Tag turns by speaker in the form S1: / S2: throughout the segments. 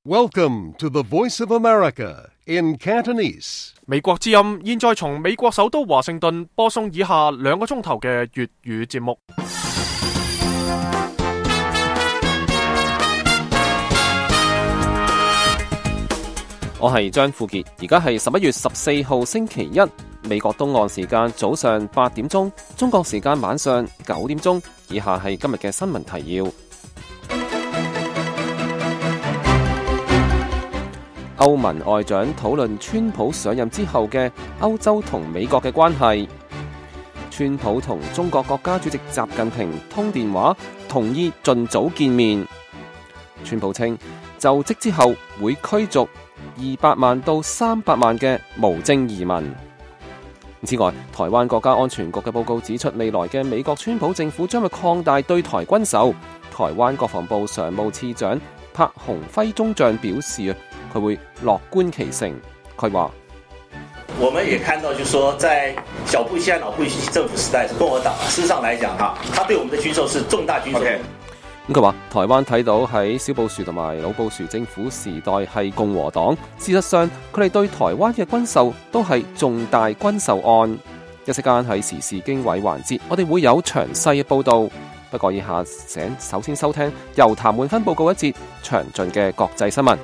S1: Welcome to the Voice of America in Cantonese.
S2: 美國之音現在從美國首都華盛頓播送以下2個鐘頭嘅粵語節目。
S3: 我係張富傑，而家係11月14號星期一，美國東岸時間早上8點鐘，中國時間晚上9點鐘。以下係今日嘅新聞提要。歐盟外長討論川普上任之後嘅歐洲同美國嘅關係。川普同中國國家主席習近平通電話，同意盡早見面。川普稱就職之後會驅逐200萬到300萬嘅無證移民。此外，台灣國家安全局嘅報告指出，未來嘅美國川普政府將會擴大對台軍售。台灣國防部常務次長柏鴻輝中將表示，佢會樂觀其成。佢話：
S4: 我們也看到，就是說，在小布希和老布希政府時代，是共和黨。事實上來講，他對我們的軍售是重大軍售。
S3: 咁佢話，台灣睇到喺小布殊同埋老布殊政府時代係共和黨，事實上佢哋對台灣嘅軍售都係重大軍售案。一息間喺時事經緯環節，我哋會有詳細嘅報導。不過以下請首先收聽由譚滿芬報告一節詳盡嘅國際新聞。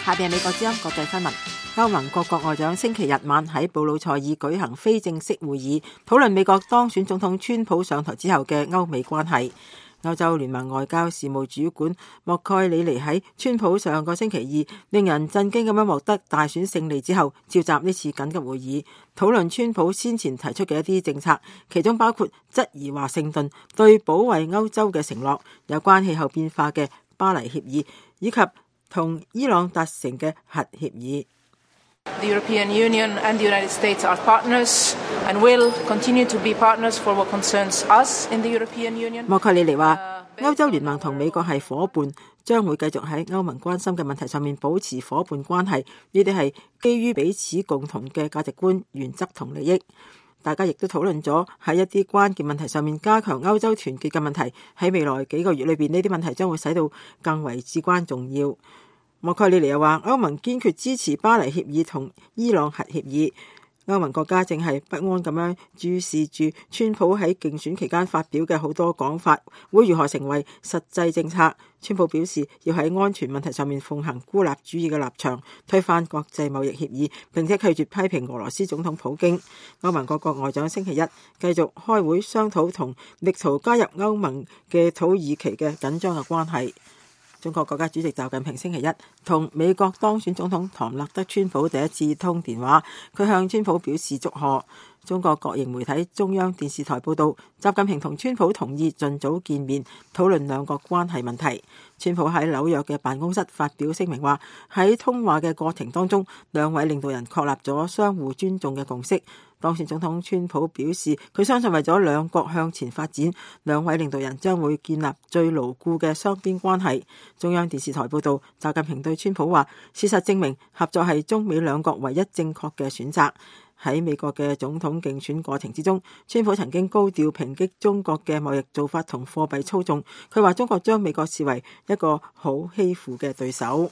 S5: 下邊係美國之音國際新聞。歐盟各國外長星期日晚喺布魯塞爾舉行非正式會議，討論美國當選總統川普上台之後嘅歐美關係。歐洲聯盟外交事務主管莫蓋里尼喺川普上個星期二令人震驚咁樣獲得大選勝利之後，召集呢次緊急會議，討論川普先前提出嘅一啲政策，其中包括質疑華盛頓對保衛歐洲嘅承諾，有關氣候變化嘅巴黎協議，以及同伊朗達成嘅核協議。
S6: The European Union and the United States are partners and will continue to be partners for what concerns us in the European Union.
S5: 莫蓋里尼話，歐洲聯盟同美國係夥伴，將會繼續喺歐盟關心嘅問題上面保持夥伴關係。呢啲係基於彼此共同嘅價值觀、原則同利益。大家亦都討論咗喺一啲關鍵問題上面加強歐洲團結嘅問題。喺未來幾個月裏邊，呢啲問題將會使到更為至關重要。莫蓋里尼又話，歐盟堅決支持巴黎協議同伊朗核協議。歐盟國家正係不安咁樣注視住川普喺競選期間發表嘅好多講法會如何成為實際政策。川普表示要喺安全問題上面奉行孤立主義嘅立場，推翻國際貿易協議，並且拒絕批評俄羅斯總統普京。歐盟各國外長星期一繼續開會商討同力圖加入歐盟嘅土耳其嘅緊張嘅關係。中國國家主席習近平星期一同美國當選總統唐納德川普第一次通電話，佢向川普表示祝賀。中國國營媒體中央電視台報道，習近平同川普同意盡早見面，討論兩國關係問題。川普喺紐約嘅辦公室發表聲明話，喺通話嘅過程當中，兩位領導人確立咗相互尊重嘅共識。當選總統川普表示，佢相信為咗兩國向前發展，兩位領導人將會建立最牢固嘅雙邊關係。中央電視台報道，習近平對川普話，事實證明合作係中美兩國唯一正確嘅選擇。喺美國嘅總統競選過程之中，川普曾經高調抨擊中國嘅貿易做法同貨幣操縱。佢話中國將美國視為一個好欺負嘅對手。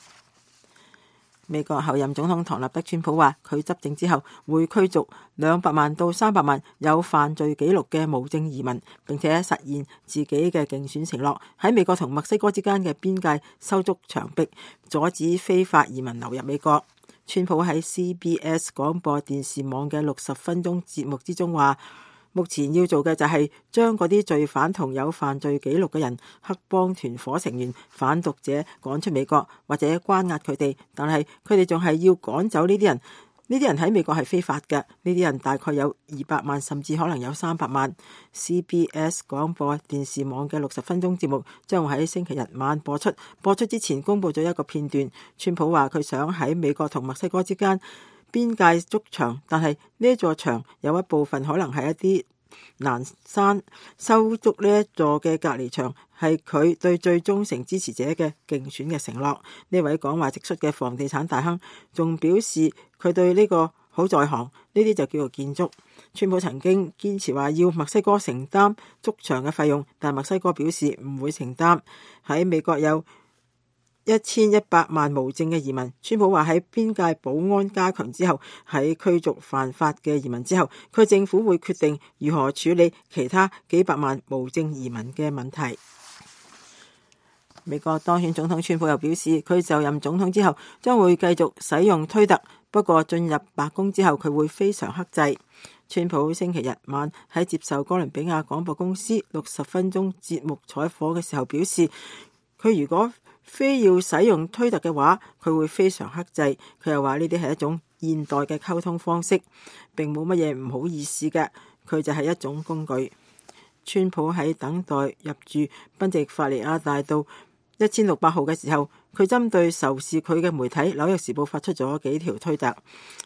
S5: 美國候任總統唐納德川普話，佢執政之後會驅逐200萬到300萬有犯罪記錄嘅無證移民，並且實現自己嘅競選承諾，喺美國同墨西哥之間嘅邊界修築牆壁，阻止非法移民流入美國。川普喺 CBS 廣播電視網嘅60分鐘節目之中話，目前要做嘅就係將嗰啲罪犯同有犯罪記錄嘅人、黑幫團夥成員、販毒者趕出美國，或者關押佢哋，但係佢哋仲係要趕走呢啲人。呢啲人喺美國係非法嘅，呢啲人大概有200萬，甚至可能有300萬。CBS 廣播電視網嘅60分鐘節目將會喺星期日晚播出。播出之前公佈咗一個片段，川普話佢想喺美國同墨西哥之間邊界築牆，但係呢一座牆有一部分可能係一啲南山，修築呢一座嘅隔離牆係佢對最忠誠支持者嘅競選嘅承諾。呢位講話直率嘅房地產大亨仲表示，佢對呢個好在行，呢啲就叫做建築。川普曾經堅持話要墨西哥承擔築牆嘅費用，但墨西哥表示唔會承擔。喺美國有1100萬無證嘅移民，川普話喺邊界保安加強之後，喺驅逐犯法嘅移民之後，佢政府會決定如何處理其他幾百萬無證移民嘅問題。美國當選總統川普又表示，佢就任總統之後將會繼續使用推特，不過進入白宮之後佢會非常克制。川普星期日晚喺接受哥倫比亞廣播公司60分鐘節目採訪嘅時候表示，佢如果非要使用推特嘅話，佢會非常克制。佢又話呢啲係一種現代嘅溝通方式，並冇乜嘢唔好意思嘅，佢就係一種工具。川普喺等待入住賓夕法尼亞大道1600號嘅時候，佢針對仇視佢嘅媒體《紐約時報》發出咗幾條推特。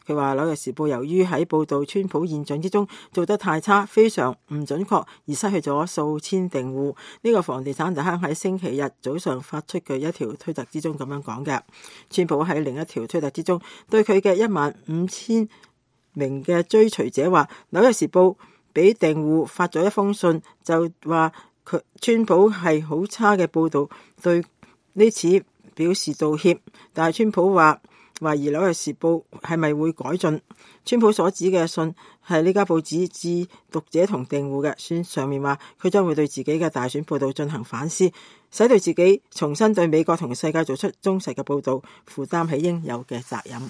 S5: 佢話《紐約時報》由於喺報導川普現象之中做得太差，非常唔準確，而失去咗數千訂戶。呢個房地產大亨喺星期日早上發出嘅一條推特之中咁樣講嘅。川普喺另一條推特之中對佢嘅15000名嘅追隨者話，《紐約時報》俾訂戶發咗一封信，就話川普係好差嘅報導，對呢次表示道歉。但係川普話懷疑紐約時報係咪會改進。川普所指嘅信係呢家報紙致讀者同訂戶嘅信，上面話佢將會對自己嘅大選報導進行反思，使對自己重新對美國同世界做出忠實嘅報導，負擔起應有嘅責任。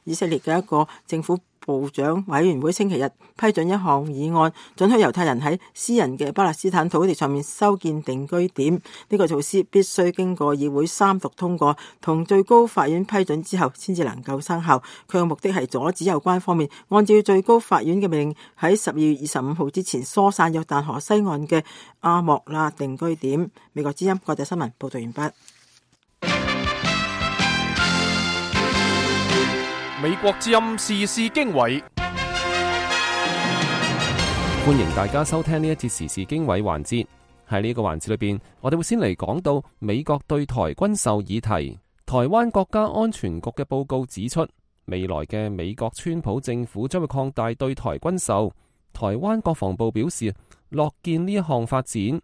S5: 以色列嘅一個政府部長委員會星期日批准一項議案，准許猶太人喺私人嘅巴勒斯坦土地上面修建定居點。呢個措施必須經過議會三讀通過，同最高法院批准之後先至能夠生效。佢嘅目的係阻止有關方面按照最高法院嘅命令喺12月25號之前疏散約旦河西岸嘅阿莫拉定居點。美國之音國際新聞報道完畢。
S2: 美國之音時事經緯，
S3: 歡迎大家收聽呢一節時事經緯環節。喺呢個環節裏邊，我哋會先嚟講到美國對台軍售議題。台灣國家安全局嘅報告指出，未來嘅美國川普政府將會擴大對台軍售。台灣國防部表示樂見呢一項發展。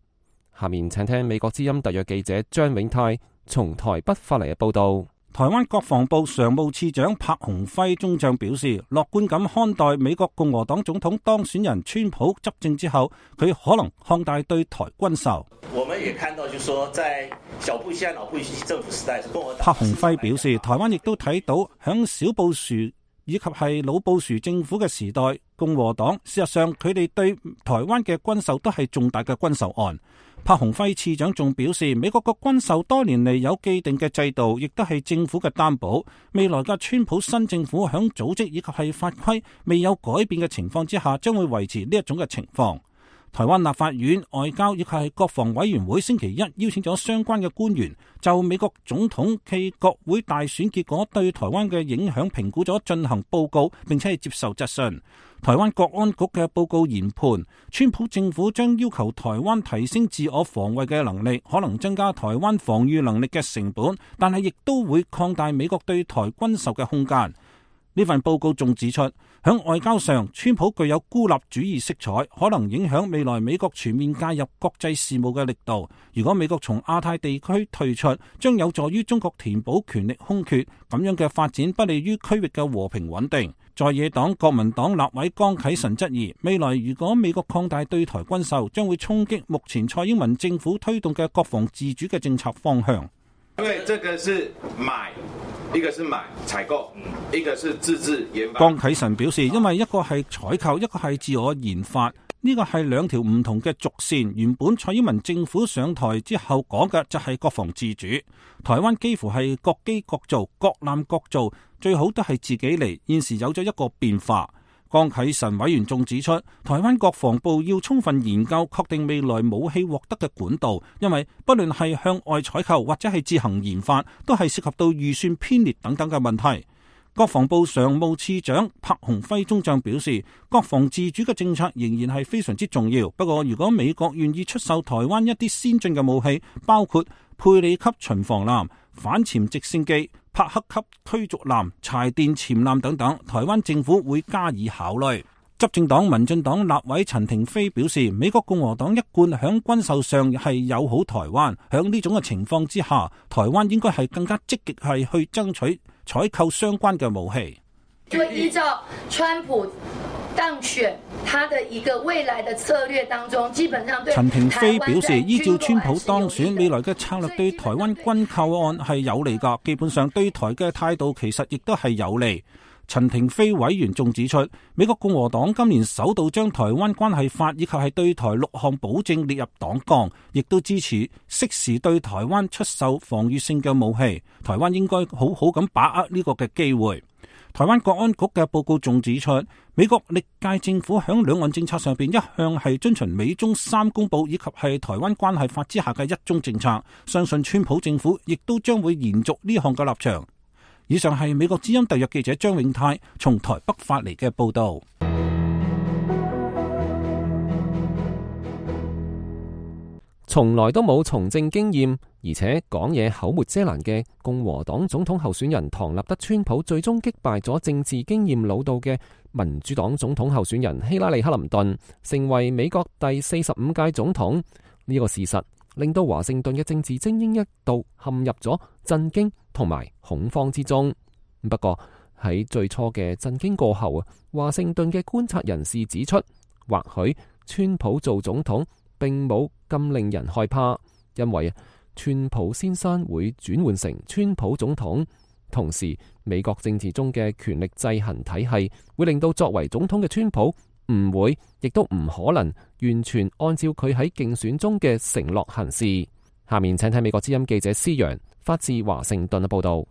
S3: 下面請聽美國之音特約記者張永泰從台北發嚟嘅報道。
S7: 台灣國防部常務次長柏鴻輝中將表示，樂觀咁看待美國共和黨總統當選人川普執政之後，佢可能擴大對台軍售。
S4: 我們也看到，就是說，在小布希和老布希政府時代，共和黨。
S7: 柏鴻輝表示，台灣亦都睇到響小布殊以及係老布殊政府嘅時代，共和黨事實上佢哋對台灣嘅軍售都係重大嘅軍售案。柏鴻輝次長仲表示，美國嘅軍售多年嚟有既定嘅制度，亦都係政府嘅擔保。未來嘅川普新政府響組織以及係法規未有改變嘅情況之下，將會維持呢一種嘅情況。台灣立法院外交以及係國防委員會星期一邀請咗相關嘅官員，就美國總統暨國會大選結果對台灣嘅影響評估咗進行報告，並且係接受質詢。台灣國安局嘅報告研判，川普政府將要求台灣提升自我防衛嘅能力，可能增加台灣防禦能力嘅成本，但係亦都會擴大美國對台軍售嘅空間。呢份報告仲指出，響外交上，川普具有孤立主義色彩，可能影響未來美國全面介入國際事務嘅力度。如果美國從亞太地區退出，將有助於中國填補權力空缺，咁樣嘅發展不利於區域嘅和平穩定。在野黨國民黨立委江啟臣質疑，未來如果美國擴大對台軍售，將會衝擊目前蔡英文政府推動嘅國防自主嘅政策方向。
S8: 因為這個是買，一個是買採購，一個是自制研發。
S7: 江啟臣表示，因為一個係採購，一個係自我研發，呢個係兩條唔同嘅軸線。原本蔡英文政府上台之後講嘅就係國防自主，台灣幾乎係各機各造，各艦各造，最好都係自己嚟。現時有咗一個變化。江啟臣委員仲指出，台灣國防部要充分研究確定未來武器獲得嘅管道，因為不論係向外採購或者係自行研發，都係涉及到預算偏裂等等嘅問題。國防部常務次長柏鴻輝中將表示，國防自主嘅政策仍然係非常之重要。不過，如果美國願意出售台灣一啲先進嘅武器，包括佩里級巡防艦、反潛直升機、帕克級驅逐艦、柴電潛艦等等，台灣政府會加以考慮。執政黨民進黨立委陳亭妃表示，美國共和黨一貫響軍售上係友好台灣，響呢種嘅情況之下，台灣應該係更加積極係去爭取採購相關嘅武器。
S9: 就依照川普當選他的一個未來的策略當中，基本上對
S7: 陳亭妃表示，依照川普當選未來嘅策略對台灣軍購案係有利㗎，基本上對台嘅態度其實亦都係有利。陳亭妃委員仲指出，美國共和黨今年首度將台灣關係法以及係對台6項保證列入黨綱，亦都支持適時對台灣出售防禦性嘅武器。台灣應該好好咁把握呢個嘅機會。台灣國安局嘅報告仲指出，美國歷屆政府響兩岸政策上邊一向係遵循美中3公報以及係台灣關係法之下嘅一中政策，相信川普政府亦都將會延續呢項嘅立場。以上係美國之音特約記者張永泰從台北發嚟嘅報道。
S3: 從來都冇從政經驗，而且講嘢口沒遮攔嘅共和黨總統候選人唐納德·川普，最終擊敗咗政治經驗老道嘅民主黨總統候選人希拉里·克林頓，成為美國第45屆總統。呢個事實令到華盛頓嘅政治精英一度陷入咗震驚同埋恐慌之中。不過喺最初嘅震驚過後啊，華盛頓嘅觀察人士指出，或許川普做總統並冇咁令人害怕，因為川普先生會轉換成川普總統。同時，美國政治中嘅權力制衡體系會令到作為總統嘅川普唔會，亦都唔可能完全按照佢喺競選中嘅承諾行事。下面請睇美國之音記者施洋發自華盛頓嘅報道。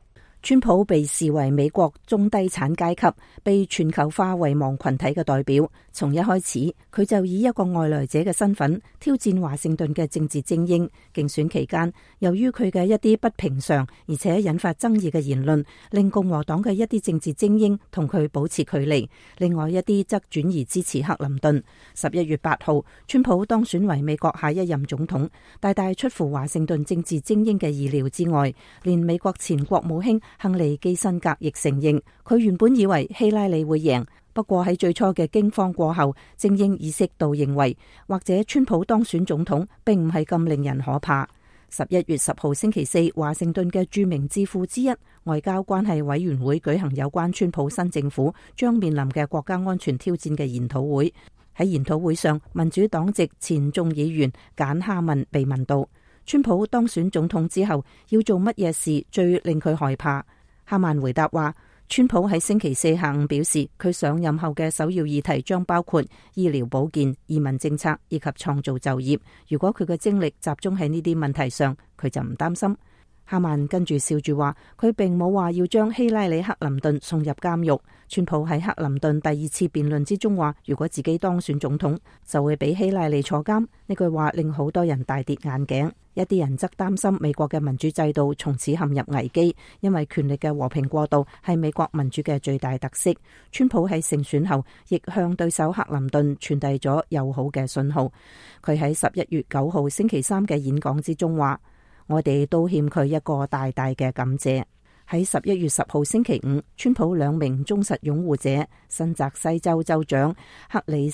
S10: 川普被視為美國中低產階級、被全球化遺忘群體嘅代表。從一開始，佢就以一個外來者嘅身份挑戰華盛頓嘅政治精英。競選期間，由於佢嘅一啲不平常而且引發爭議嘅言論，令共和黨嘅一啲政治精英同佢保持距離。另外一啲則轉移支持克林頓。11月8號，川普當選為美國下一任總統，大大出乎華盛頓政治精英嘅意料之外。連美國前國務卿亨利基辛格亦承認，佢原本以為希拉里會贏，不過喺最初嘅驚慌過後，精英意識到認為，或者川普當選總統並唔係咁令人可怕。11月10號星期四，華盛頓嘅著名智庫之一外交關係委員會舉行有關川普新政府將面臨嘅國家安全挑戰嘅研討會。喺研討會上，民主黨籍前眾議員簡哈文被問到，川普當選總統之後要做乜嘢事最令佢害怕？哈曼回答話，川普喺星期四下午表示，佢上任後嘅首要議題將包括醫療保健、移民政策以及創造就業。如果佢嘅精力集中喺呢啲問題上，佢就唔擔心。哈曼跟住笑住話，佢並冇話要將希拉里·克林頓送入監獄。川普喺克林頓第二次辯論之中話，如果自己當選總統，就會俾希拉里坐監。呢句話令好多人大跌眼鏡。一啲人則擔心美國嘅民主制度從此陷入危機，因為權力嘅和平過渡係美國民主嘅最大特色。川普喺勝選後，亦向對手克林頓傳遞咗友好嘅信號。佢喺11月9號星期三嘅演講之中話，我哋都欠佢一個大大嘅感謝。喺11月10號星期五，川普2名忠實擁護者新澤西州州長克里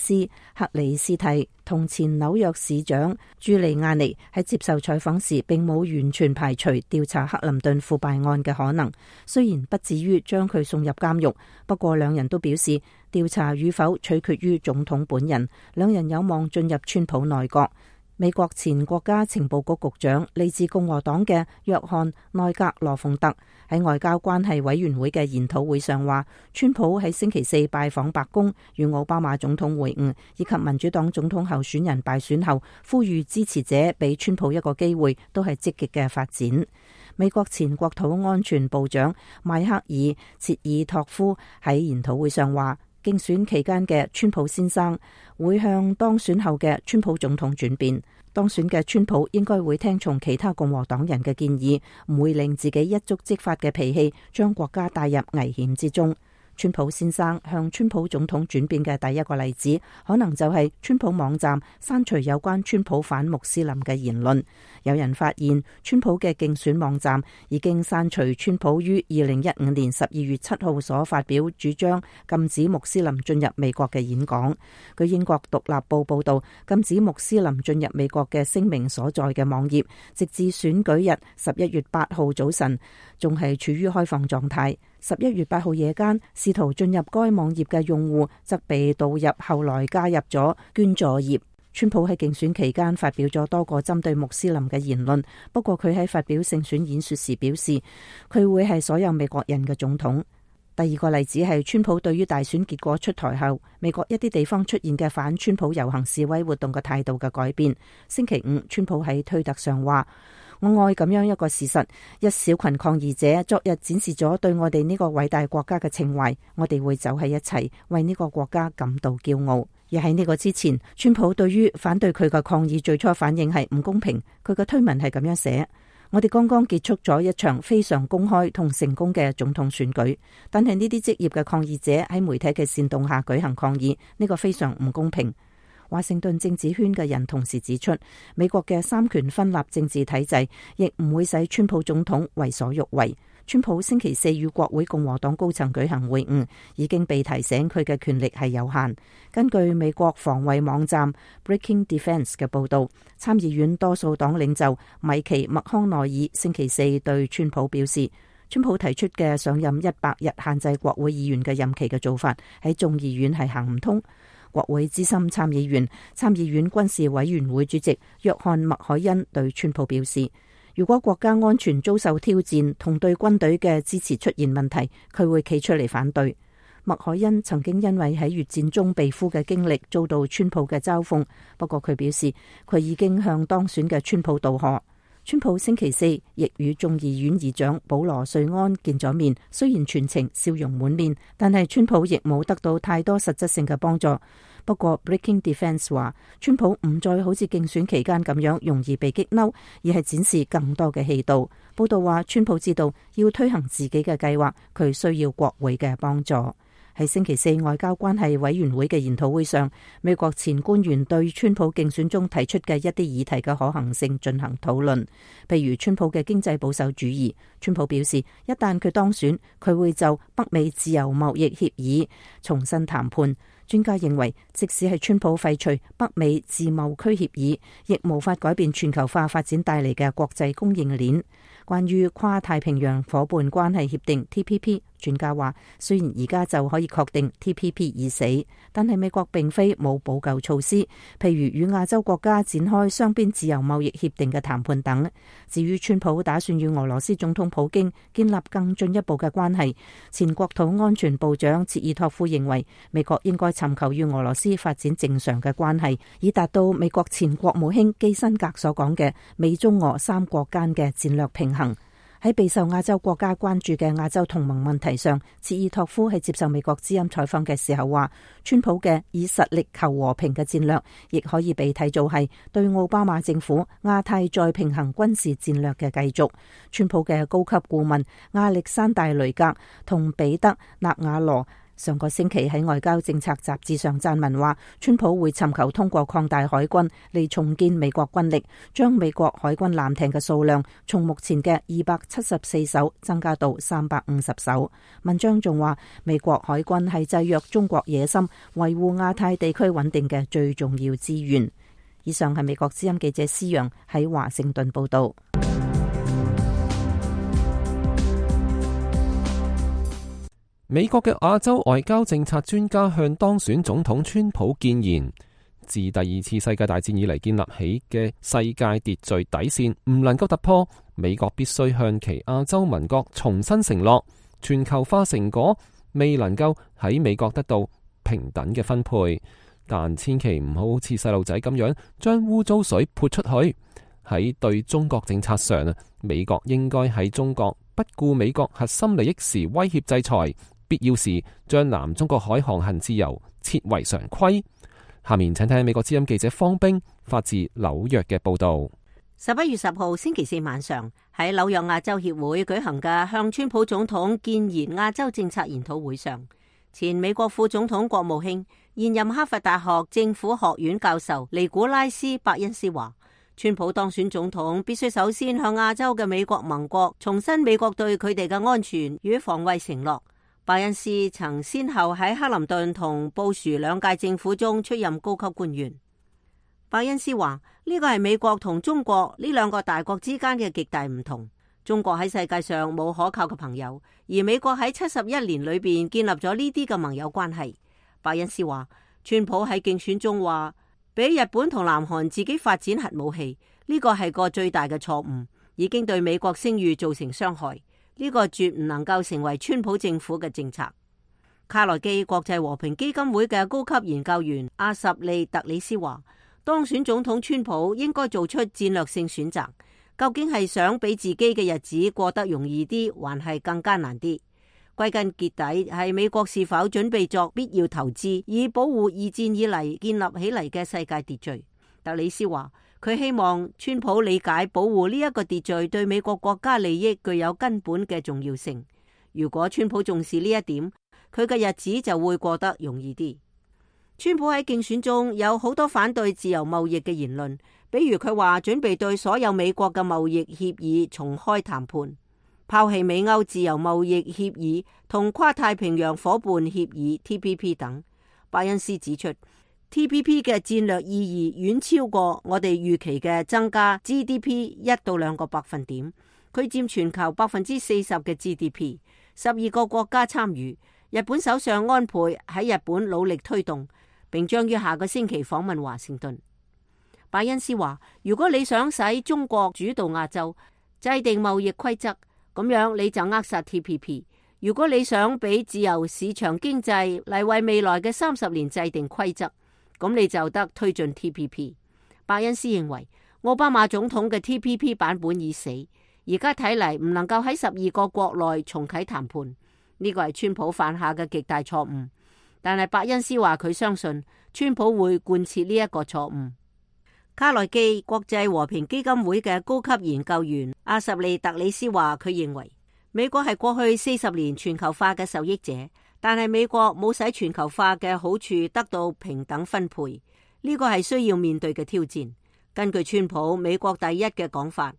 S10: 斯蒂同前紐約市長朱利亞尼喺接受採訪時，並冇完全排除調查克林頓腐敗案嘅可能。雖然不至於將佢送入監獄，不過兩人都表示調查與否取決於總統本人。兩人有望進入川普內閣。美國前國家情報局局長嚟自共和黨嘅約翰內格羅鳳特喺外交關係委員會嘅研討會上話，川普喺星期四拜訪白宮與奧巴馬總統會晤，以及民主黨總統候選人敗選後呼籲支持者俾川普一個機會，都係積極嘅發展。美國前國土安全部長邁克爾切爾托夫喺研討會上話，競選期間嘅川普先生會向當選後嘅川普總統轉變。當選嘅川普應該會聽從其他共和黨人嘅建議，唔會令自己一觸即發嘅脾氣將國家帶入危險之中。川普先生向川普總統轉變嘅第一個例子，可能就係川普網站刪除有關川普反穆斯林嘅言論。有人發現川普嘅競選網站已經刪除川普於2015年12月7號所發表主張禁止穆斯林進入美國嘅演講。據英國獨立報報道，禁止穆斯林進入美國嘅聲明所在嘅網頁，直至選舉日11月8號早晨仲係處於開放狀態。11月8號夜間，試圖進入該網頁嘅用戶則被導入後來加入咗捐助頁。川普喺競選期間發表咗多個針對穆斯林嘅言論，不過佢喺發表勝選演說時表示，佢會係所有美國人嘅總統。第二個例子係川普對於大選結果出台後，美國一啲地方出現嘅反川普遊行示威活動嘅態度嘅改變。星期五，川普喺推特上話：我愛咁樣一個事實，一小群抗議者昨日展示咗對我哋呢個偉大國家嘅情懷，我哋會走喺一齊，為呢個國家感到驕傲。而喺呢個之前，川普對於反對佢嘅抗議最初反應係唔公平。佢嘅推文係咁樣寫：我哋剛剛結束咗一場非常公開同成功嘅總統選舉，但係呢啲職業嘅抗議者喺媒體嘅煽動下舉行抗議，呢個非常唔公平。華盛頓政治圈嘅人同時指出，美國嘅三權分立政治體制亦唔會使川普總統為所欲為。川普星期四與國會共和黨高層舉行會晤，已經被提醒佢嘅權力係有限。根據美國防衛網站 Breaking Defense 嘅報道，參議院多數黨領袖米奇麥康奈爾星期四對川普表示，川普提出嘅上任100日限制國會議員嘅任期嘅做法喺眾議院係行唔通。國會資深參議員、參議院軍事委員會主席約翰麥凱恩對川普表示，如果國家安全遭受挑戰同對軍隊嘅支持出現問題，佢會企出嚟反對。麥凱恩曾經因為喺越戰中被俘嘅經歷遭到川普嘅嘲諷，不過佢表示佢已經向當選嘅川普道賀。川普星期四亦與眾議院議長保羅瑞安見咗面，雖然全程笑容滿面，但係川普亦冇得到太多實質性嘅幫助。不過 Breaking Defense 話，川普唔再好似競選期間咁樣容易被激嬲，而係展示更多嘅氣度。報道話，川普知道要推行自己嘅計劃，佢需要國會嘅幫助。喺星期四外交關係委員會嘅研討會上，美國前官員對川普競選中提出嘅一啲議題嘅可行性進行討論，譬如川普嘅經濟保守主義。川普表示，一旦佢當選，佢會就北美自由貿易協議重新談判。專家認為，即使係川普廢除北美自貿區協議，亦無法改變全球化發展帶嚟嘅國際供應鏈。關於跨太平洋夥伴關係協定 TPP， 專家話，雖然而家就可以確定 TPP 已死，但係美國並非冇補救措施，譬如與亞洲國家展開雙邊自由貿易協定嘅談判等。至於川普打算與俄羅斯總統普京建立更進一步嘅關係，前國土安全部長切爾托夫認為，美國應該尋求與俄羅斯發展正常嘅關係，以達到美國前國務卿基辛格所講嘅美中俄三國間嘅戰略平衡。喺備受亞洲國家關注嘅亞洲同盟問題上，切爾托夫喺接受美國之音採訪嘅時候話，川普嘅以實力求和平嘅戰略，亦可以被睇做係對奧巴馬政府亞太再平衡軍事戰略嘅繼續。川普嘅高級顧問亞歷山大雷格同彼得納瓦羅上個星期喺外交政策雜誌上撰文話，川普會尋求通過擴大海軍嚟重建美國軍力，將美國海軍艦艇嘅數量從目前嘅274艘增加到350艘。文章仲話，美國海軍係制約中國野心、維護亞太地區穩定嘅最重要資源。以上係美國之音記者施陽喺華盛頓報道。
S3: 美國嘅亞洲外交政策專家向當選總統川普建言，自第二次世界大戰以嚟建立起嘅世界秩序底線唔能夠突破，美國必須向其亞洲盟國重新承諾，全球化成果未能夠喺美國得到平等嘅分配，但千祈唔好似細路仔咁樣將污糟水潑出去。喺對中國政策上，美國應該喺中國不顧美國核心利益時威脅制裁，必要時將南中國海航行自由設為常規。下面請聽美國之音記者方冰發自紐約嘅報道。
S11: 11月10號星期四晚上，喺紐約亞洲協會舉行嘅向川普總統建言亞洲政策研討會上，前美國副總統國務卿、現任哈佛大學政府學院教授尼古拉斯·伯恩斯話，川普當選總統必須首先向亞洲嘅美國盟國重申美國對佢哋嘅安全與防衛承諾。伯恩斯曾先後喺克林頓同布殊兩屆政府中出任高級官員。伯恩斯話，呢個係美國同中國呢兩個大國之間嘅極大唔同。中國喺世界上冇可靠嘅朋友，而美國喺71年裏邊建立咗呢啲嘅盟友關係。伯恩斯話，川普喺競選中話俾日本同南韓自己發展核武器，呢個係個最大嘅錯誤，已經對美國聲譽造成傷害。呢個絕唔能夠成為川普政府嘅政策。卡內基國際和平基金會嘅高級研究員阿什利特里斯話，當選總統川普應該做出戰略性選擇。究竟係想俾自己嘅日子過得容易啲，還係更艱難啲？歸根結底係美國是否準備作必要投資，以保護二戰以嚟建立起嚟嘅世界秩序。特里斯話，佢希望川普理解保護呢一個秩序對美國國家利益具有根本嘅重要性。如果川普重視呢一點，佢嘅日子就會過得容易啲。川普喺競選中有好多反對自由貿易嘅言論，比如佢話準備對所有美國嘅貿易協議重開談判，拋棄美歐自由貿易協議同跨太平洋夥伴協議 TPP 等。伯恩斯指出， TPP 嘅戰略意義遠超過我哋預期嘅增加 GDP 1到2個百分點，佢佔全球40%嘅 GDP， 12個國家參與。日本首相安倍喺日本努力推動，並將於下個星期訪問華盛頓。伯恩斯話，如果你想使中國主導亞洲，制定貿易規則，咁樣你就扼殺 TPP。如果你想俾自由市場經濟嚟為未來嘅30年制定規則，咁你就得推進 TPP。伯恩斯認為，奧巴馬總統嘅 TPP 版本已死，而家睇嚟唔能夠喺12個國內重啟談判，呢個係川普犯下嘅極大錯誤。但係伯恩斯話佢相信川普會貫徹呢一個錯誤。卡內基國際和平基金會嘅高級研究員阿什利特里斯話，佢認為美國係過去40年全球化嘅受益者，但係美國冇使全球化嘅好處得到平等分配，呢個係需要面對嘅挑戰。根據川普美國第一嘅講法，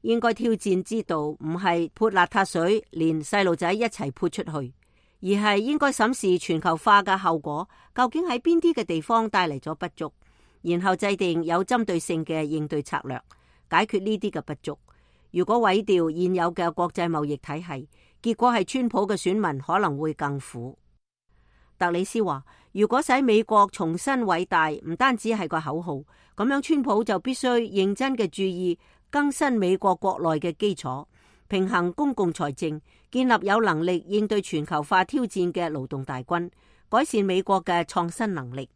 S11: 應該挑戰之道唔係潑邋遢水，連細路仔一齊潑出去，而係應該審視全球化嘅後果，究竟喺邊啲嘅地方帶嚟咗不足，然後制定有針對性嘅應對策略，解決呢啲嘅不足。如果毀掉現有嘅國際貿易體系，結果係川普嘅選民可能會更苦。特里斯話，如果使美國重新偉大，唔單止係個口號，咁樣川普就必須認真嘅注意更新美國國內嘅基礎，平衡公共財政，建立有能力應對全球化挑戰嘅勞動大軍，改善美國嘅創新能力。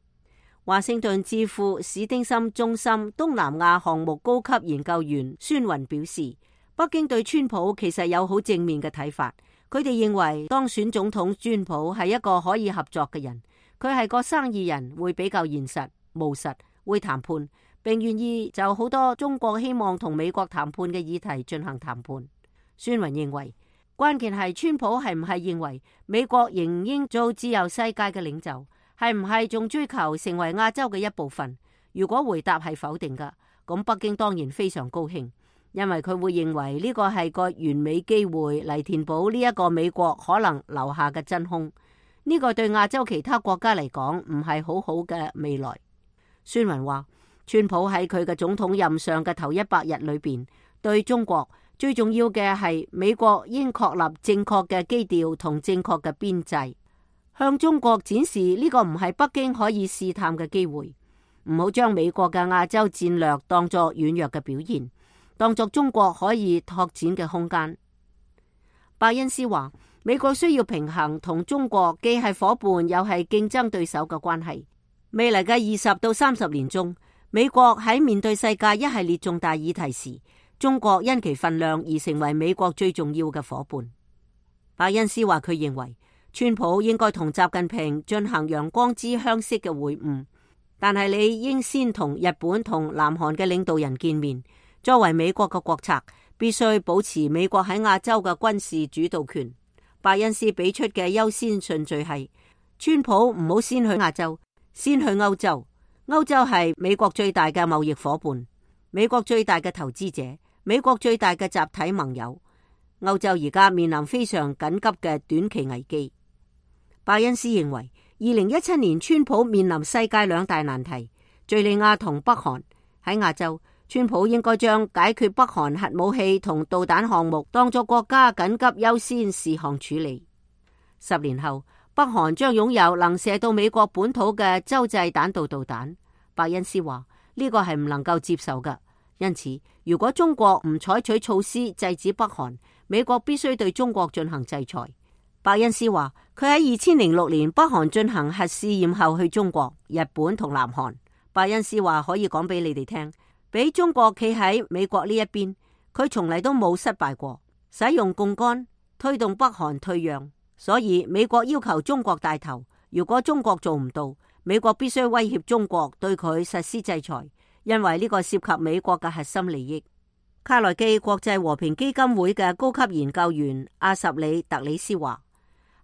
S11: 華盛頓智庫史丁森中心東南亞項目高級研究員孫雲表示，北京對川普其實有好正面嘅睇法，佢哋認為當選總統川普係一個可以合作嘅人，佢係個生意人，會比較現實務實，會談判，並願意就好多中國希望同美國談判嘅議題進行談判。孫雲認為，關鍵係川普係唔係認為美國仍應做自由世界嘅領袖，係唔係仲追求成為亞洲嘅一部分？如果回答係否定嘅，咁北京當然非常高興，因為佢會認為呢個係個完美機會嚟填補呢一個美國可能留下嘅真空。呢個對亞洲其他國家嚟講唔係好好嘅未來。孫雲話，川普喺佢嘅總統任上嘅頭100日裏邊，對中國最重要嘅係美國應確立正確嘅基調同正確嘅邊際，向中國展示呢個唔係北京可以試探嘅機會，唔好將美國嘅亞洲戰略當作軟弱嘅表現，當作中國可以拓展嘅空間。伯恩斯話，美國需要平衡同中國既係夥伴又係競爭對手嘅關係。未來嘅20到30年中，美國喺面對世界一系列重大議題時，中國因其份量而成為美國最重要嘅夥伴。伯恩斯話，佢認為川普應該同習近平進行陽光之鄉式嘅會晤，但係你應先同日本同南韓嘅領導人見面。作為美國嘅國策，必須保持美國喺亞洲嘅軍事主導權。伯恩斯俾出嘅優先順序係川普唔好先去亞洲，先去歐洲。歐洲係美國最大嘅貿易夥伴，美國最大嘅投資者，美國最大嘅集體盟友。歐洲而家面臨非常緊急嘅短期危機。拜恩斯認為2017年川普面臨世界兩大難題，敘利亞同北韓。喺亞洲，川普應該將解決北韓核武器同導彈項目當作國家緊急優先事項處理。10年後，北韓將擁有能射到美國本土嘅洲際彈道導彈。拜恩斯話呢個係唔能夠接受嘅，因此如果中國唔採取措施制止北韓，美國必須對中國進行制裁。拜恩斯話佢喺2006年北韓進行核試驗後去中國、日本同南韓。拜恩斯話可以講俾你哋聽，俾中國企喺美國呢一邊，佢從嚟都冇失敗過，使用槓桿推動北韓退讓。所以美國要求中國帶頭，如果中國做唔到，美國必須威脅中國對佢實施制裁，因為呢個涉及美國嘅核心利益。卡內基國際和平基金會嘅高級研究員阿什里特里斯話，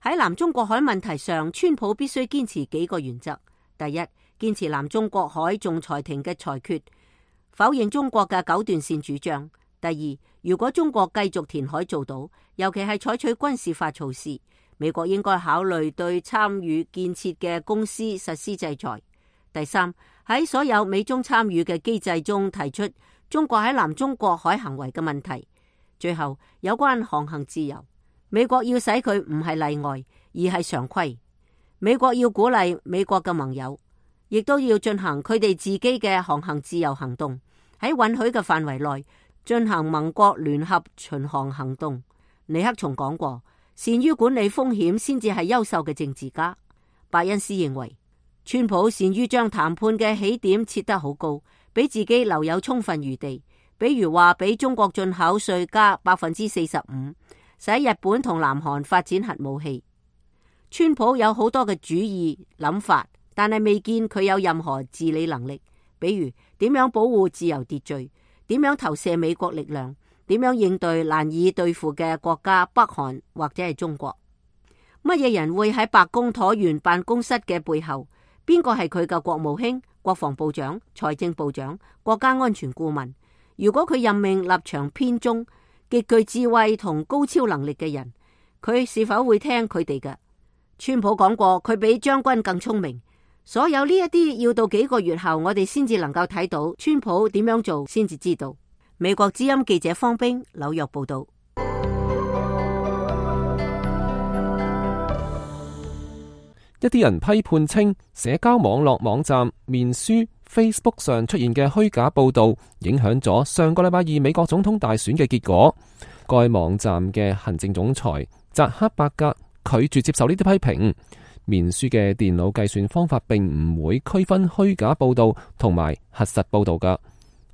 S11: 喺南中國海問題上，川普必須堅持幾個原則。第一，堅持南中國海仲裁庭嘅裁決，否認中國嘅九段線主張。第二，如果中國繼續填海做島，尤其係採取軍事化措施，美國應該考慮對參與建設嘅公司實施制裁。第三，喺所有美中參與嘅機制中提出中國喺南中國海行為嘅問題。最後，有關航行自由，美國要使佢唔係例外，而係常規。美國要鼓勵美國嘅盟友，亦都要進行佢哋自己嘅航行自由行動，喺允許嘅範圍內進行盟國聯合巡航行動。尼克松講過，善於管理風險先至係優秀嘅政治家。拜恩斯認為，川普善於將談判嘅起點設得好高，俾自己留有充分餘地。比如話俾中國進口稅加 45%， 使日本同南韓發展核武器。川普有好多嘅主意諗法，但係未見佢有任何治理能力。比如點樣保護自由秩序，點樣投射美國力量，點樣應對難以對付嘅國家北韓或者係中國。乜嘢人會喺白宮橢圓辦公室嘅背後？邊個係佢嘅國務卿、國防部長、財政部長、國家安全顧問？如果佢任命立場偏中、極具智慧同高超能力嘅人，佢是否會聽佢哋嘅？川普講過，佢比將軍更聰明。所有呢一啲要到幾個月後，我哋先至能夠睇到川普點樣做，先至知道。美國之音記者方冰紐約報道。
S3: 一啲人批判稱，社交網絡網站面書 Facebook 上出現嘅虛假報道，影響咗上個禮拜二美國總統大選嘅結果。該網站嘅行政總裁扎克伯格拒絕接受呢啲批評。面書嘅電腦計算方法並唔會區分虛假報道同埋核實報道㗎。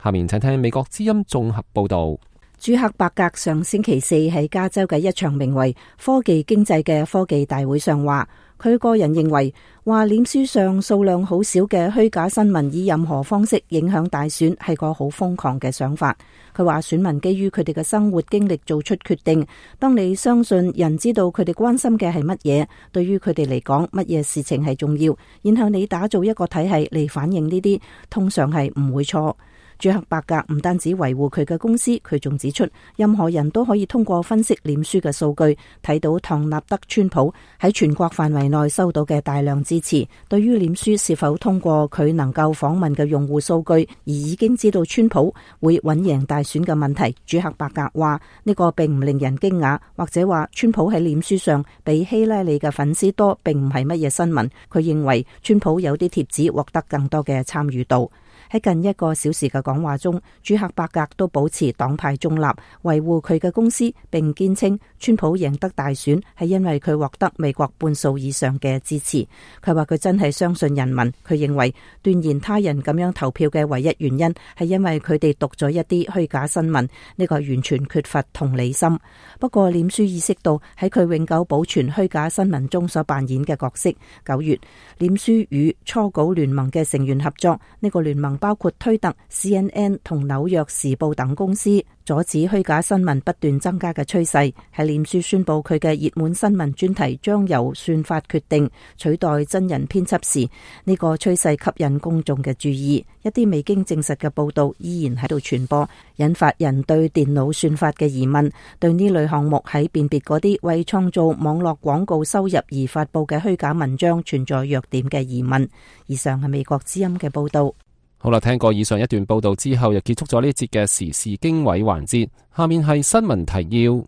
S3: 下面請聽美國之音綜合報道。
S10: 朱克伯格上星期四喺加州嘅一場名為科技經濟嘅科技大會上話，佢個人認為話臉書上數量好少嘅虛假新聞以任何方式影響大選係個好瘋狂嘅想法。佢話選民基於佢哋嘅生活經歷做出決定，當你相信人知道佢哋關心嘅係乜嘢，對於佢哋嚟講乜嘢事情係重要，然後你打造一個體系嚟反映呢啲，通常係唔會錯。朱克伯格唔單止維護佢嘅公司，佢仲指出，任何人都可以通過分析臉書嘅數據，睇到唐納德川普喺全國範圍內收到嘅大量支持。對於臉書是否通過佢能夠訪問嘅用戶數據而已經知道川普會穩贏大選嘅問題，朱克伯格話呢個並唔令人驚訝，或者話川普喺臉書上比希拉里嘅粉絲多並唔係乜嘢新聞。佢認為川普有啲貼子獲得更多嘅參與度。喺近1個小時嘅講話中，朱克伯格都保持黨派中立，維護佢嘅公司，並堅稱川普贏得大選係因為佢獲得美國半數以上嘅支持。佢話佢真係相信人民，佢認為斷言他人咁樣投票嘅唯一原因係因為佢哋讀咗一啲虛假新聞，呢個係完全缺乏同理心。不過臉書意識到喺佢永久保存虛假新聞中所扮演嘅角色。9月，臉書與初稿聯盟嘅成員合作，呢個聯盟包括推特、CNN 同紐約時報等公司。阻止虛假新聞不斷增加嘅趨勢。喺臉書宣布佢嘅熱門新聞專題將由算法決定取代真人編輯時，呢個趨勢吸引公眾嘅注意。一啲未經證實嘅報道依然喺度傳播，引發人對電腦算法嘅疑問，對呢類項目喺辨別嗰啲為創造網絡廣告收入而發佈嘅虛假文章存在弱點嘅疑問。以上係美國之音嘅報道。
S3: 好啦，聽過以上一段報道之後，又結束咗呢節嘅時事經緯環節。下面係新聞提要。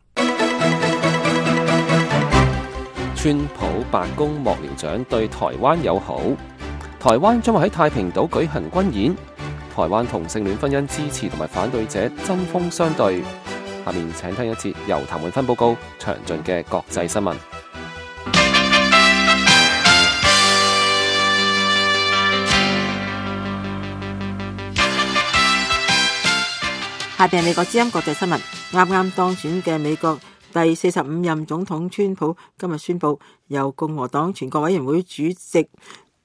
S3: 川普白宮幕僚長對台灣友好，台灣將會喺太平島舉行軍演。台灣同性戀婚姻支持同埋反對者針鋒相對。下面請聽一節由譚永芬報告詳盡嘅國際新聞。
S5: 下邊係美國之音國際新聞。啱啱當選嘅美國第45任總統川普今日宣布，由共和黨全國委員會主席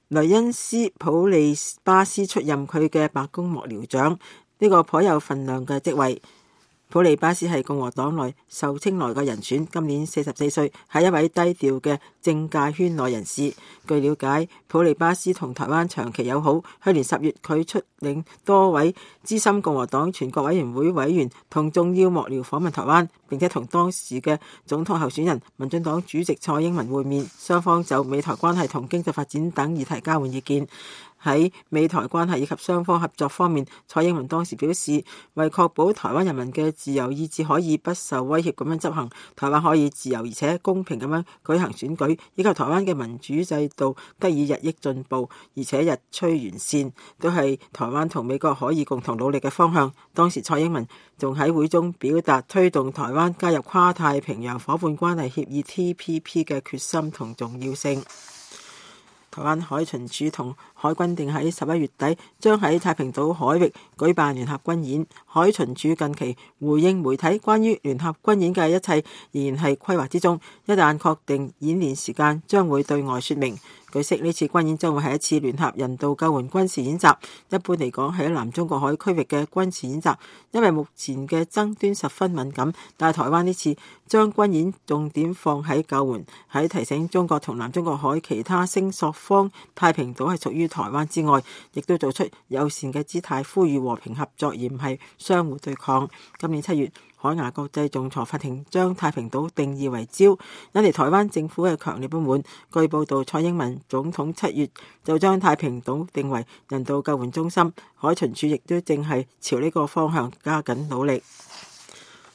S5: 雷恩斯普利巴斯出任佢嘅白宮幕僚長，呢個頗有份量嘅職位。普利巴斯係共和黨內受青睞嘅人選，今年44歲，係一位低調嘅政界圈內人士。據了解，普利巴斯同台灣長期友好。去年10月，佢率領多位資深共和黨全國委員會委員同重要幕僚訪問台灣，並且同當時嘅總統候選人民進黨主席蔡英文會面，雙方就美台關係同經濟發展等議題交換意見。喺美台關係以及雙方合作方面，蔡英文當時表示，為確保台灣人民嘅自由意志可以不受威脅咁樣執行，台灣可以自由而且公平咁樣舉行選舉，以及台灣嘅民主制度得以日益進步，而且日趨完善，都係台灣同美國可以共同努力嘅方向。當時蔡英文仲喺會中表達推動台灣加入跨太平洋夥伴關係協議 TPP 嘅決心同重要性。台灣海巡署同海軍定喺11月底將喺太平島海域舉辦聯合軍演。海巡署近期回應媒體關於聯合軍演嘅一切仍然係規劃之中，一旦確定演練時間，將會對外說明。據悉，呢次軍演將會係一次聯合人道救援軍事演習，一般嚟講係喺南中國海區域嘅軍事演習，因為目前嘅爭端十分敏感，但係台灣呢次將軍演重點放喺救援，喺提醒中國同南中國海其他聲索方太平島係屬於台灣之外，亦都做出友善嘅姿態，呼籲和平合作而唔係相互對抗。今年7月，海牙國際仲裁法庭將太平島定義為礁，引嚟台灣政府嘅強烈不滿。據報道，蔡英文總統7月就將太平島定為人道救援中心，海巡署亦都正係朝呢個方向加緊努力。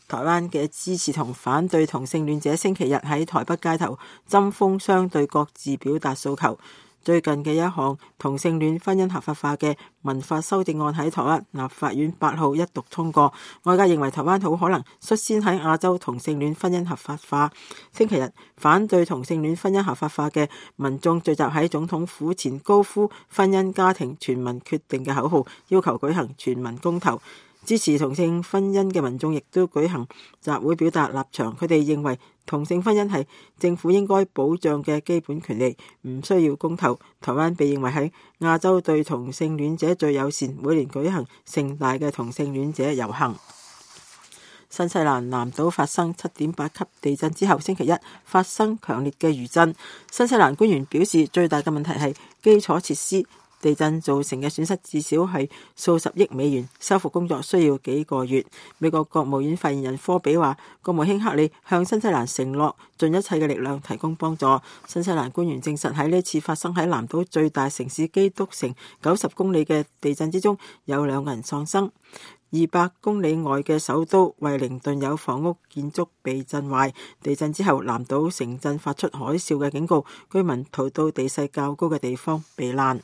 S5: 台灣嘅支持同反對同性戀者星期日喺台北街頭針鋒相對，各自表達訴求。最近嘅一項同性戀婚姻合法化嘅民法修正案喺台灣立法院8號一讀通過，外界認為台灣好可能率先喺亞洲同性戀婚姻合法化。星期日，反對同性戀婚姻合法化嘅民眾聚集喺總統府前，高呼婚姻家庭全民決定嘅口號，要求舉行全民公投。支持同性婚姻嘅民眾亦都舉行集會表達立場，佢哋認為同性婚姻係政府應該保障嘅基本權利，唔需要公投。台灣被認為喺亞洲對同性戀者最友善，每年舉行盛大嘅同性戀者遊行。新西蘭南島發生7.8級地震之後，星期一發生強烈嘅餘震。新西蘭官員表示，最大嘅問題係基礎設施。地震造成嘅損失至少係數十億美元，修復工作需要幾個月。美國國務院發言人科比話，國務卿克里向新西蘭承諾盡一切嘅力量提供幫助。新西蘭官員證實喺呢次發生喺南島最大城市基督城90公里嘅地震之中，有2個人喪生。200公里外嘅首都惠靈頓有房屋建築被震壞，地震之後南島城鎮發出海嘯嘅警告，居民逃到地勢較高嘅地方避難。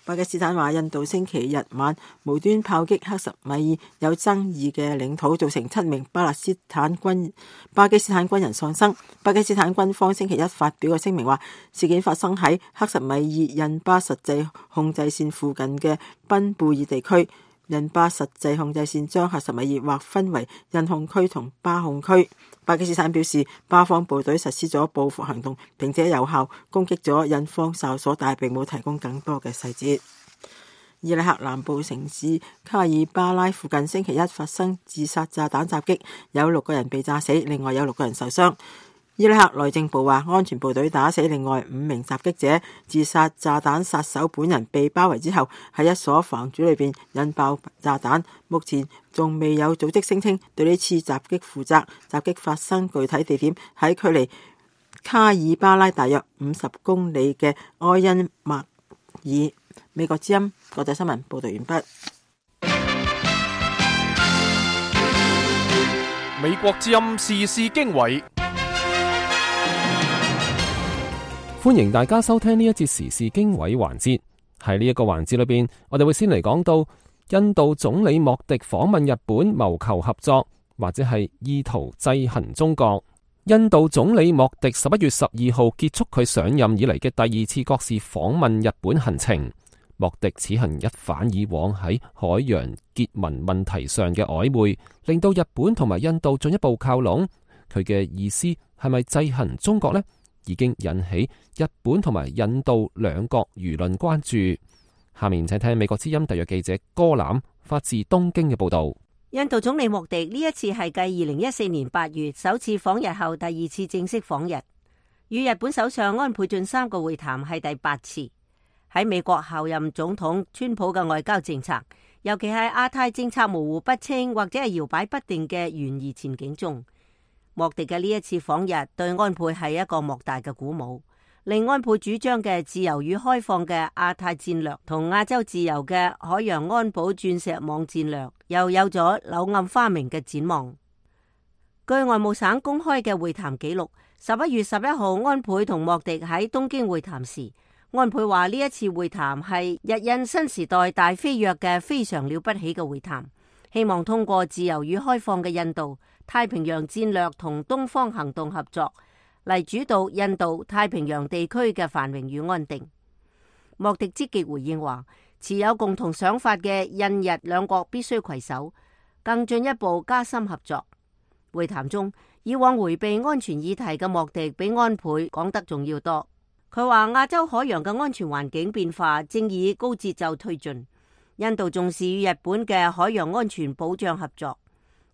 S5: 巴基斯坦話，印度星期日晚無端炮擊克什米爾有爭議嘅領土，造成7名巴基斯坦軍人喪生。巴基斯坦軍方星期一發表嘅聲明話，事件發生喺克什米爾印巴實際控制線附近嘅賓貝爾地區。印巴實際控制線將克什米爾劃分為印控區同巴控區。巴基斯坦表示，巴方部隊實施咗報復行動，並且有效攻擊咗印方哨所，但係並冇提供更多嘅細節。伊拉克南部城市卡爾巴拉附近星期一發生自殺炸彈襲擊，有6個人被炸死，另外有6個人受傷。伊拉克內政部話，安全部隊打死另外5名襲擊者。自殺炸彈殺手本人被包圍之後，喺一所房主裏邊引爆炸彈。目前仲未有組織聲稱對呢次襲擊負責。襲擊發生具體地點喺距離卡爾巴拉大約50公里嘅埃因麥爾。美國之音國際新聞報道完畢。
S2: 美國之音時事經緯，
S3: 歡迎大家收聽呢一節時事經緯環節。喺呢一個環節裏邊，我哋會先嚟講到印度總理莫迪訪問日本，謀求合作，或者係意圖制衡中國。印度總理莫迪11月12號結束佢上任以嚟嘅第2次國事訪問日本行程。莫迪此行一反以往喺海洋結盟問題上嘅曖昧，令到日本同埋印度進一步靠攏。佢嘅意思係咪制衡中國呢？已經引起日本同埋印度兩國輿論關注。下面請聽美國之音特約記者戈欖發自東京嘅報道。
S11: 印度總理莫迪呢一次係繼2014年8月首次訪日後第2次正式訪日，與日本首相安倍晉三個會談係第8次。喺美國候任總統川普嘅外交政策，尤其係亞太政策模糊不清或者係搖擺不定嘅懸疑前景中，莫迪嘅呢一次訪日對安倍係一個莫大嘅鼓舞，令安倍主張嘅自由與開放嘅亞太戰略同亞洲自由嘅海洋安保鑽石網戰略又有咗柳暗花明嘅展望。據外務省公開嘅會談記錄，11月11號安倍同莫迪喺東京會談時，安倍話呢一次會談係日印新時代大飛躍嘅非常了不起嘅會談，希望通過自由與開放嘅印度太平洋戰略同東方行動合作嚟主導印度太平洋地區嘅繁榮與安定。莫迪積極回應話，持有共同想法嘅印日兩國必須攜手，更進一步加深合作。會談中，以往回避安全議題嘅莫迪比安倍講得仲要多。佢話亞洲海洋嘅安全環境變化正以高節奏推進，印度重視與日本嘅海洋安全保障合作，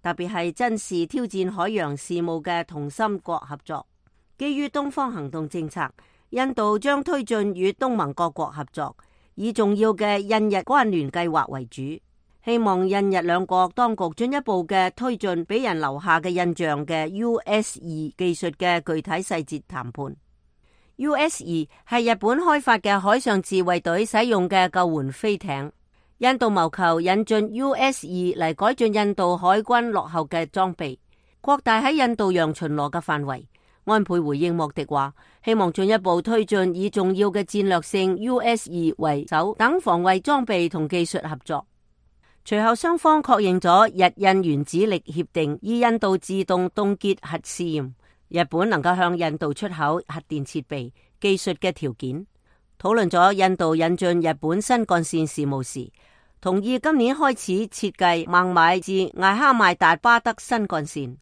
S11: 特別係珍視挑戰海洋事務嘅同心國合作。基於東方行動政策，印度將推進與東盟各國合作，以重要嘅印日關聯計劃為主，希望印日兩國當局進一步嘅推進俾人留下嘅印象嘅 US-2 技術嘅具體細節談判。US-2 係日本開發嘅海上自衛隊使用嘅救援飛艇，印度謀求引進 US-2 嚟改進印度海軍落後嘅裝備，擴大喺印度洋巡邏嘅範圍。安倍回應莫迪話，希望進一步推進以重要嘅戰略性 US-2 為首等防衛裝備同技術合作。隨後雙方確認咗日印原子力協定，以印度自動凍結核試驗，日本能夠向印度出口核電設備技術嘅條件。討論咗印度引進日本新幹線事務時，同意今年開始設計孟買至艾哈邁達巴德新幹線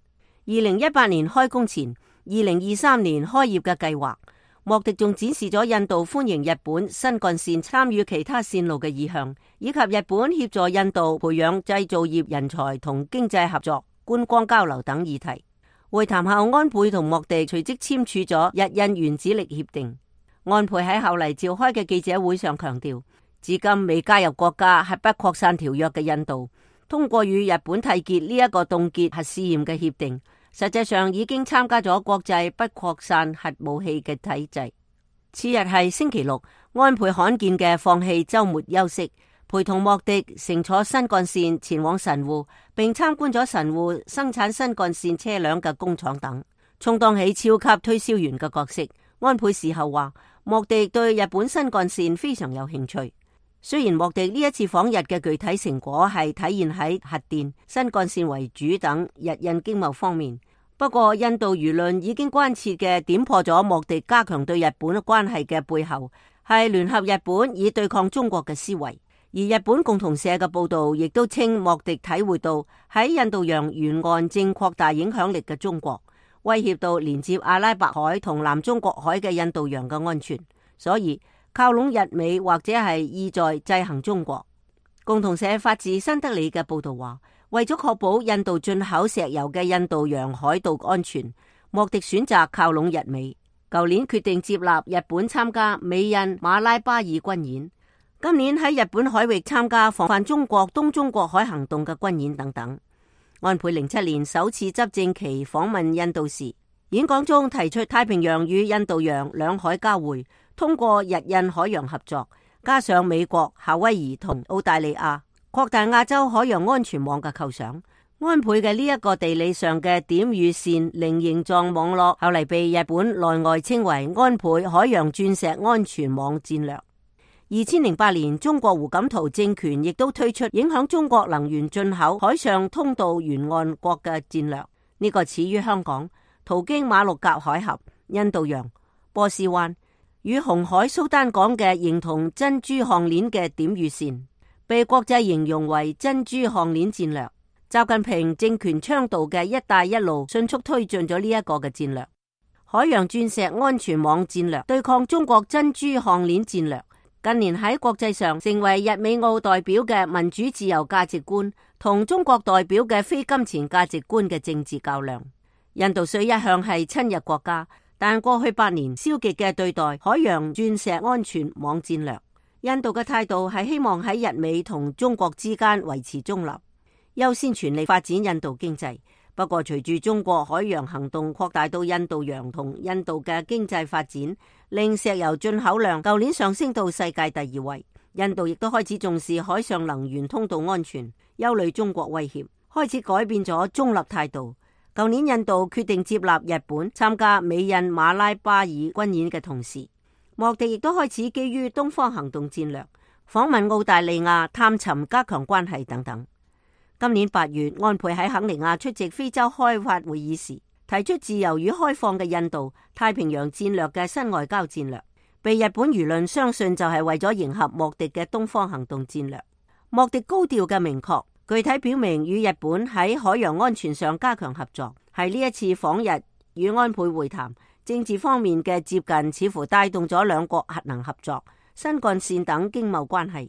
S11: ，2018年開工前2023年開業嘅計劃。莫迪仲展示咗印度歡迎日本新幹線參與其他線路嘅意向，以及日本協助印度培養製造業人才同經濟合作、觀光交流等議題。會談後，安倍同莫迪隨即簽署咗日印原子力協定。安倍喺後嚟召開嘅記者會上強調，至今未加入國家核不擴散條約嘅印度，通過與日本締結呢一個凍結核試驗嘅協定，實際上已經參加咗國際不擴散核武器嘅體制。次日係星期六，安倍罕見嘅放棄週末休息，陪同莫迪乘坐新幹線前往神戶，並參觀咗神戶生產新幹線車輛嘅工廠等，充當起超級推銷員嘅角色。安倍事後話，莫迪對日本新幹線非常有興趣。雖然莫迪呢一次訪日嘅具體成果係體現喺核電、新幹線為主等日印經貿方面，不過印度輿論已經關切嘅點破咗莫迪加強對日本關係嘅背後係聯合日本以對抗中國嘅思維。而日本共同社嘅報道亦都稱莫迪體會到喺印度洋沿岸正擴大影響力嘅中國，威脅到連接阿拉伯海同南中國海嘅印度洋嘅安全，所以靠攏日美或者係意在制衡中國。共同社發自新德里嘅報道話，為咗確保印度進口石油嘅印度洋海盜安全，莫迪選擇靠攏日美。舊年決定接納日本參加美印馬拉巴爾軍演，今年喺日本海域參加防範中國東中國海行動嘅軍演等等。安倍07年首次執政期訪問印度時，演講中提出太平洋與印度洋兩海交匯，通過日印海洋合作，加上美國、夏威夷同澳大利亞擴大亞洲海洋安全網嘅構想。安倍嘅呢一個地理上嘅點與線菱形狀網絡，後嚟被日本內外稱為安倍海洋鑽石安全網戰略。2008年，中國胡錦濤政權亦都推出影響中國能源進口海上通道沿岸國嘅戰略。呢個始於香港，途經馬六甲海峽、印度洋、波斯灣與紅海蘇丹港嘅形同珍珠項鏈嘅點與線，被國際形容為珍珠項鏈戰略。習近平政權倡導嘅一帶一路迅速推進咗呢一個嘅戰略。海洋鑽石安全網戰略對抗中國珍珠項鏈戰略，近年喺國際上成為日美澳代表嘅民主自由價值觀同中國代表嘅非金錢價值觀嘅政治較量。印度雖一向係親日國家，但過去8年消極嘅對待海洋鑽石安全網戰略。印度嘅態度係希望喺日美同中國之間維持中立，優先全力發展印度經濟。不過隨住中國海洋行動擴大到印度洋同印度嘅經濟發展，令石油進口量舊年上升到世界第2位。印度亦都開始重視海上能源通道安全，憂慮中國威脅，開始改變咗中立態度。舊年印度決定接納日本參加美印馬拉巴爾軍演嘅同時，莫迪亦都開始基於東方行動戰略訪問澳大利亞，探尋加強關係等等。今年8月，安倍喺肯尼亞出席非洲開發會議時，提出自由與開放嘅印度太平洋戰略嘅新外交戰略，被日本輿論相信就係為咗迎合莫迪嘅東方行動戰略。莫迪高調嘅明確，具體表明與日本喺海洋安全上加強合作，係呢一次訪日與安倍會談政治方面嘅接近，似乎帶動咗兩國核能合作、新幹線等經貿關係。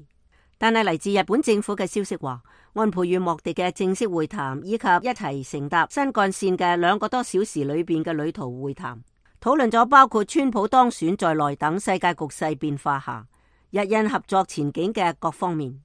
S11: 但係嚟自日本政府嘅消息話，安倍與莫迪嘅正式會談以及一齊乘搭新幹線嘅2個多小時裏邊嘅旅途會談，討論咗包括川普當選在內等世界局勢變化下日印合作前景嘅各方面。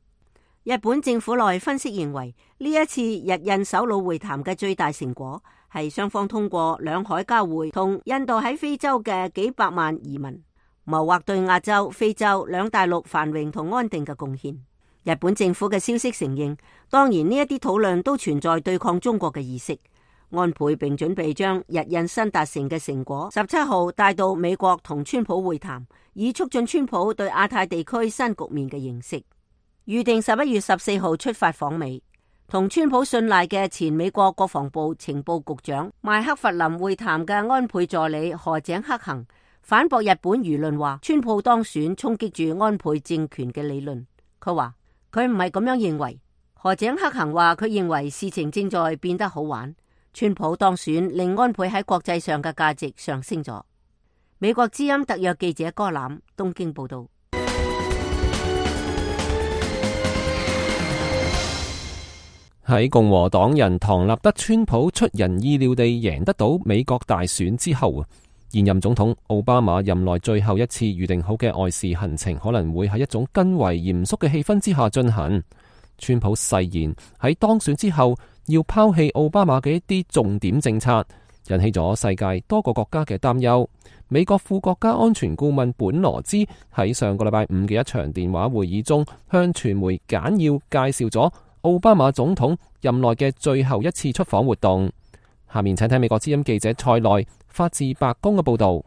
S11: 日本政府內分析認為，呢一次日印首腦會談嘅最大成果係雙方通過兩海交匯同印度喺非洲嘅幾百萬移民，謀劃對亞洲、非洲兩大陸繁榮同安定嘅貢獻。日本政府嘅消息承認，當然呢一啲討論都存在對抗中國嘅意識。安倍並準備將日印新達成嘅成果17號帶到美國同川普會談，以促進川普對亞太地區新局面嘅認識。預定11月14號出發訪美，同川普信賴嘅前美國國防部情報局長麥克弗林會談嘅安倍助理河井克行反駁日本輿論話，川普當選衝擊住安倍政權嘅理論。佢話佢唔係咁樣認為。河井克行話佢認為事情正在變得好玩，川普當選令安倍喺國際上嘅價值上升咗。美國之音特約記者柯攬東京報道。
S3: 喺共和黨人唐納德川普出人意料地贏得到美國大選之後，現任總統奧巴馬任內最後一次預定好嘅外事行程可能會喺一種更為嚴肅嘅氣氛之下進行。川普誓言喺當選之後要拋棄奧巴馬嘅一啲重點政策，引起咗世界多個國家嘅擔憂。美國副國家安全顧問本羅茲喺上個禮拜五嘅一場電話會議中，向傳媒簡要介紹咗奧巴馬總統任內嘅最後一次出訪活動。下面請睇美國之音記者塞內發自白宮嘅報道。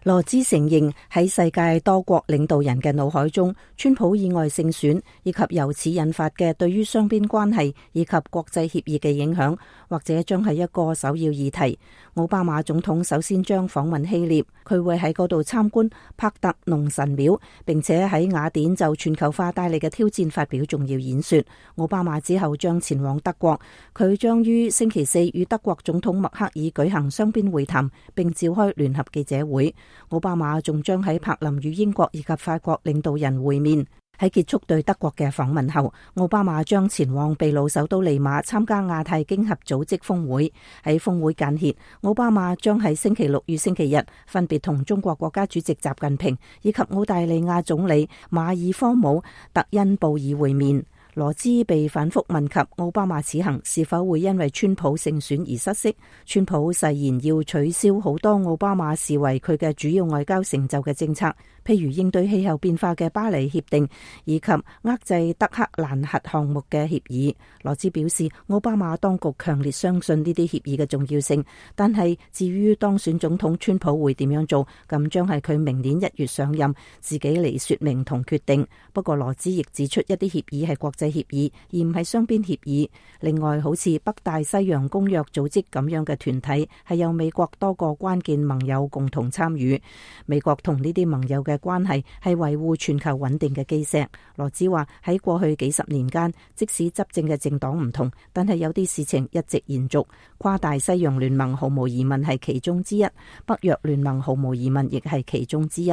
S10: 羅茲承認喺世界多國領導人嘅腦海中，川普意外勝選以及由此引發嘅對於雙邊關係以及國際協議嘅影響，或者將係一個首要議題。奧巴馬總統首先將訪問希臘，佢會喺嗰度參觀帕特農神廟，並且喺雅典就全球化帶嚟嘅挑戰發表重要演說。奧巴馬之後將前往德國，佢將於星期4與德國總統默克爾舉行雙邊會談，並召開聯合記者會。奧巴馬仲將喺柏林與英國以及法國領導人會面。喺結束對德國嘅訪問後，奧巴馬將前往秘魯首都利馬參加亞太經合組織峰會。喺峰會間歇，奧巴馬將喺星期六與星期日分別同中國國家主席習近平以及澳大利亞總理馬爾科姆特恩布爾會面。羅茲被反覆問及奧巴馬此行是否會因為川普勝選而失色，川普誓言要取消好多奧巴馬視為佢嘅主要外交成就嘅政策，譬如應對氣候變化嘅巴黎協定以及遏制德黑蘭核項目嘅協議。羅茲表示，奧巴馬當局強烈相信呢啲協議嘅重要性，但係至於當選總統川普會點樣做，咁將係佢明年1月上任自己嚟說明同決定。不過羅茲亦指出，一啲協議係國際協議而唔係雙邊協議。另外，好似北大西洋公約組織咁樣嘅團體係由美國多個關鍵盟友共同參與，美國同呢啲盟友嘅關係係維護全球穩定嘅基石。羅茲話，喺過去幾十年間，即使執政嘅政黨唔同，但係有啲事情一直延續。跨大西洋聯盟毫無疑問係其中之一，北約聯盟毫無疑問亦係其中之一。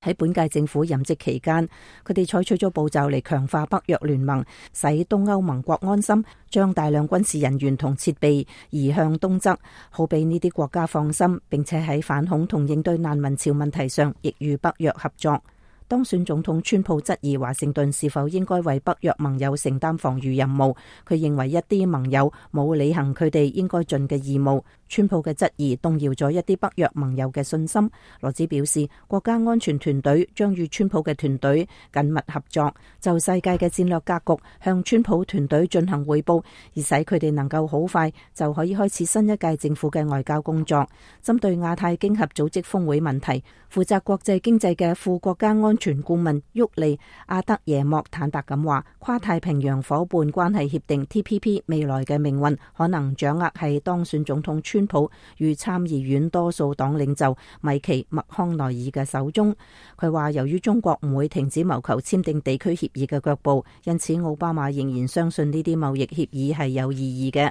S10: 喺本屆政府任職期間，佢哋採取咗步驟嚟強化北約聯盟，使東歐盟國安心，將大量軍事人員同設備移向東側，好俾呢啲國家放心，並且喺反恐同應對難民潮問題上亦與北約合作。當選總統川普質疑華盛頓是否應該為北約盟友承擔防禦任務，佢認為一啲盟友冇履行佢哋應該盡嘅義務。川普嘅質疑動搖咗一啲北約盟友嘅信心。羅茲表示，國家安全團隊將與川普嘅團隊緊密合作，就世界嘅戰略格局向川普團隊進行匯報，而使佢哋能夠好快就可以開始新一屆政府嘅外交工作。針對亞太經合組織峰會問題，負責國際經濟嘅副國家安全顧問沃利阿德耶莫坦白咁話，跨太平洋夥伴關係協定 TPP 未來嘅命運可能掌握喺當選總統川普與參議院多數黨領袖米奇麥康奈爾嘅手中。佢話，由於中國唔會停止謀求簽訂地區協議嘅腳步，因此奧巴馬仍然相信呢啲貿易協議係有意義嘅。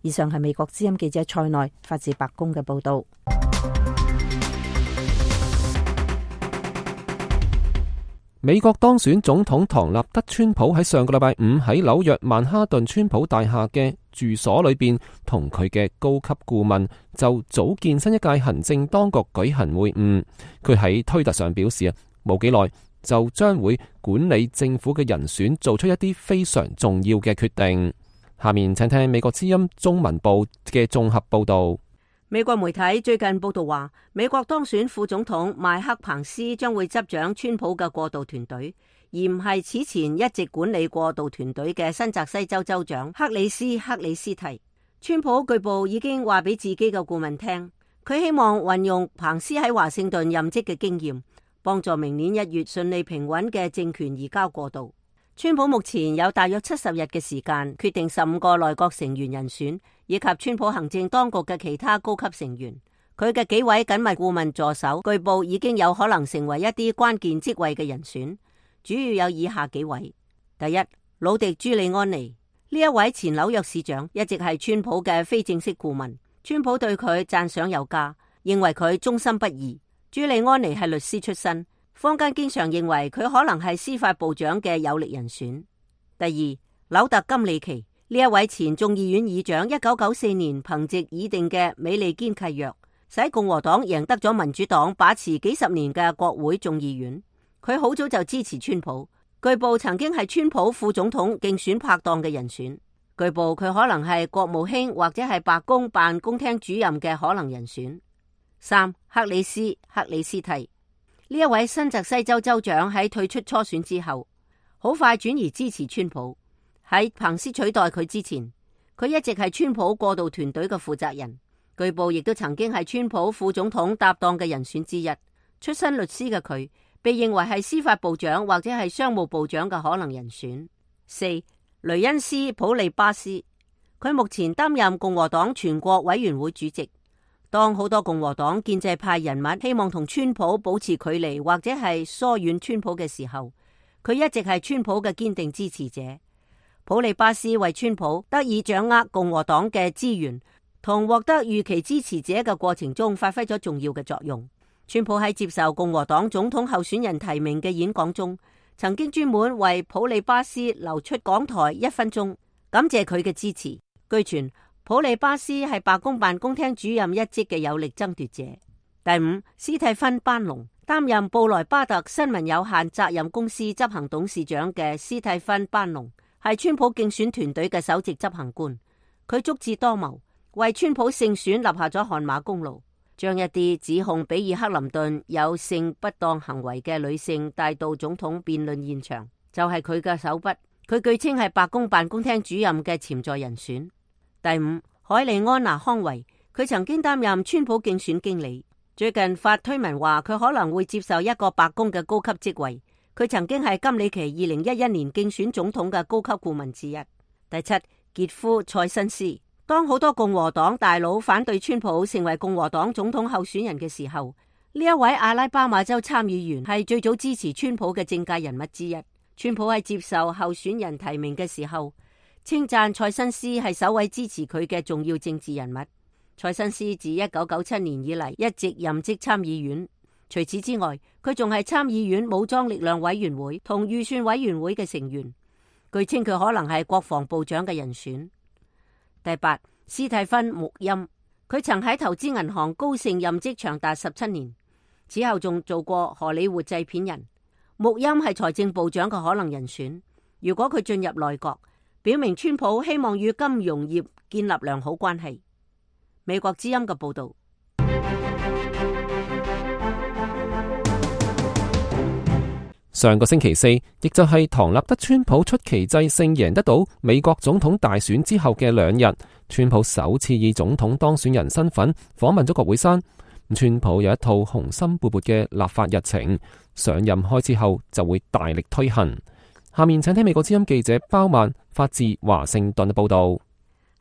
S10: 以上係美國之音記者塞內發自白宮嘅報道。
S3: 美國當選總統唐納德川普喺上個禮拜五喺紐約曼哈頓川普大廈嘅住所裏邊，同佢嘅高級顧問就組建新一屆行政當局舉行會晤。佢喺推特上表示冇幾耐就將會管理政府嘅人選做出一啲非常重要嘅決定。下面請聽美國之音中文部嘅綜合報道。
S11: 美國媒體最近報道話，美國當選副總統麥克彭斯將會執掌川普嘅過渡團隊，而唔係此前一直管理過渡團隊嘅新澤西州州長克里斯蒂。川普據報已經話俾自己嘅顧問聽，佢希望運用彭斯喺華盛頓任職嘅經驗，幫助明年1月順利平穩嘅政權移交過渡。川普目前有大約70日嘅時間決定15個內閣成員人選，以及川普行政當局嘅其他高級成員。佢嘅幾位緊密顧問助手據報已經有可能成為一啲關鍵職位嘅人選，主要有以下幾位。第一，魯迪朱利安尼，呢一位前紐約市長一直係川普嘅非正式顧問，川普對佢讚賞有加，認為佢忠心不二。朱利安尼係律師出身，坊間經常認為佢可能係司法部長嘅有力人選。第二，紐特金里奇，呢一位前眾議院議長1994年憑藉擬定嘅美利堅契約，使共和黨贏得咗民主黨把持幾十年嘅國會眾議院。佢好早就支持川普，據報曾經係川普副總統競選拍檔嘅人選。據報佢可能係國務卿或者係白宮辦公廳主任嘅可能人選。三，克里斯蒂，呢一位新澤西州州長喺退出初選之後，好快轉移支持川普。喺彭斯取代佢之前，佢一直係川普過渡團隊嘅負責人，據報亦都曾經係川普副總統搭檔嘅人選之一。出身律師嘅佢，被認為係司法部長或者係商務部長嘅可能人選。四，雷恩斯普利巴斯，佢目前擔任共和黨全國委員會主席。當好多共和黨建制派人物希望同川普保持距離或者係疏遠川普嘅時候，佢一直係川普嘅堅定支持者。普利巴斯為川普得以掌握共和黨嘅資源同獲得預期支持者嘅過程中發揮咗重要嘅作用。川普喺接受共和黨總統候選人提名嘅演講中，曾經專門為普利巴斯留出講台1分鐘，感謝佢嘅支持。據傳，普利巴斯係白宮辦公廳主任一職嘅有力爭奪者。第五，斯蒂芬班農擔任布萊巴特新聞有限責任公司執行董事長嘅斯蒂芬班農係川普競選團隊嘅首席執行官，佢足智多謀，為川普勝選立下咗汗馬功勞，將一啲指控比爾克林頓有性不當行為嘅女性帶到總統辯論現場，就係佢嘅手筆。佢據稱係白宮辦公廳主任嘅潛在人選。第五，海利安娜康維，佢曾經擔任川普競選經理，最近發推文話佢可能會接受一個白宮嘅高級職位。佢曾經係金里奇2011年競選總統嘅高級顧問之一。第七，傑夫塞申斯，當好多共和黨大佬反對川普成為共和黨總統候選人嘅時候，呢一位阿拉巴馬州參議員係最早支持川普嘅政界人物之一。川普喺接受候選人提名嘅時候，稱讚塞申斯係首位支持佢嘅重要政治人物。塞申斯自1997年以嚟一直任職參議院，除此之外，佢仲係參議院武裝力量委員會同預算委員會嘅成員。據稱佢可能係國防部長嘅人選。第八，斯蒂芬穆欽，佢曾喺投資銀行高盛任職長達17年，此後仲做過荷里活製片人。穆欽係財政部長嘅可能人選。如果佢進入內閣，表明川普希望與金融業建立良好關係。美國之音嘅報道。
S3: 上個星期四，亦就係唐納德川普出奇制勝贏得到美國總統大選之後嘅2日，川普首次以總統當選人身份訪問咗國會山。川普有一套雄心勃勃嘅立法日程，上任開始後就會大力推行。下面請聽美國之音記者包曼發自華盛頓嘅報道。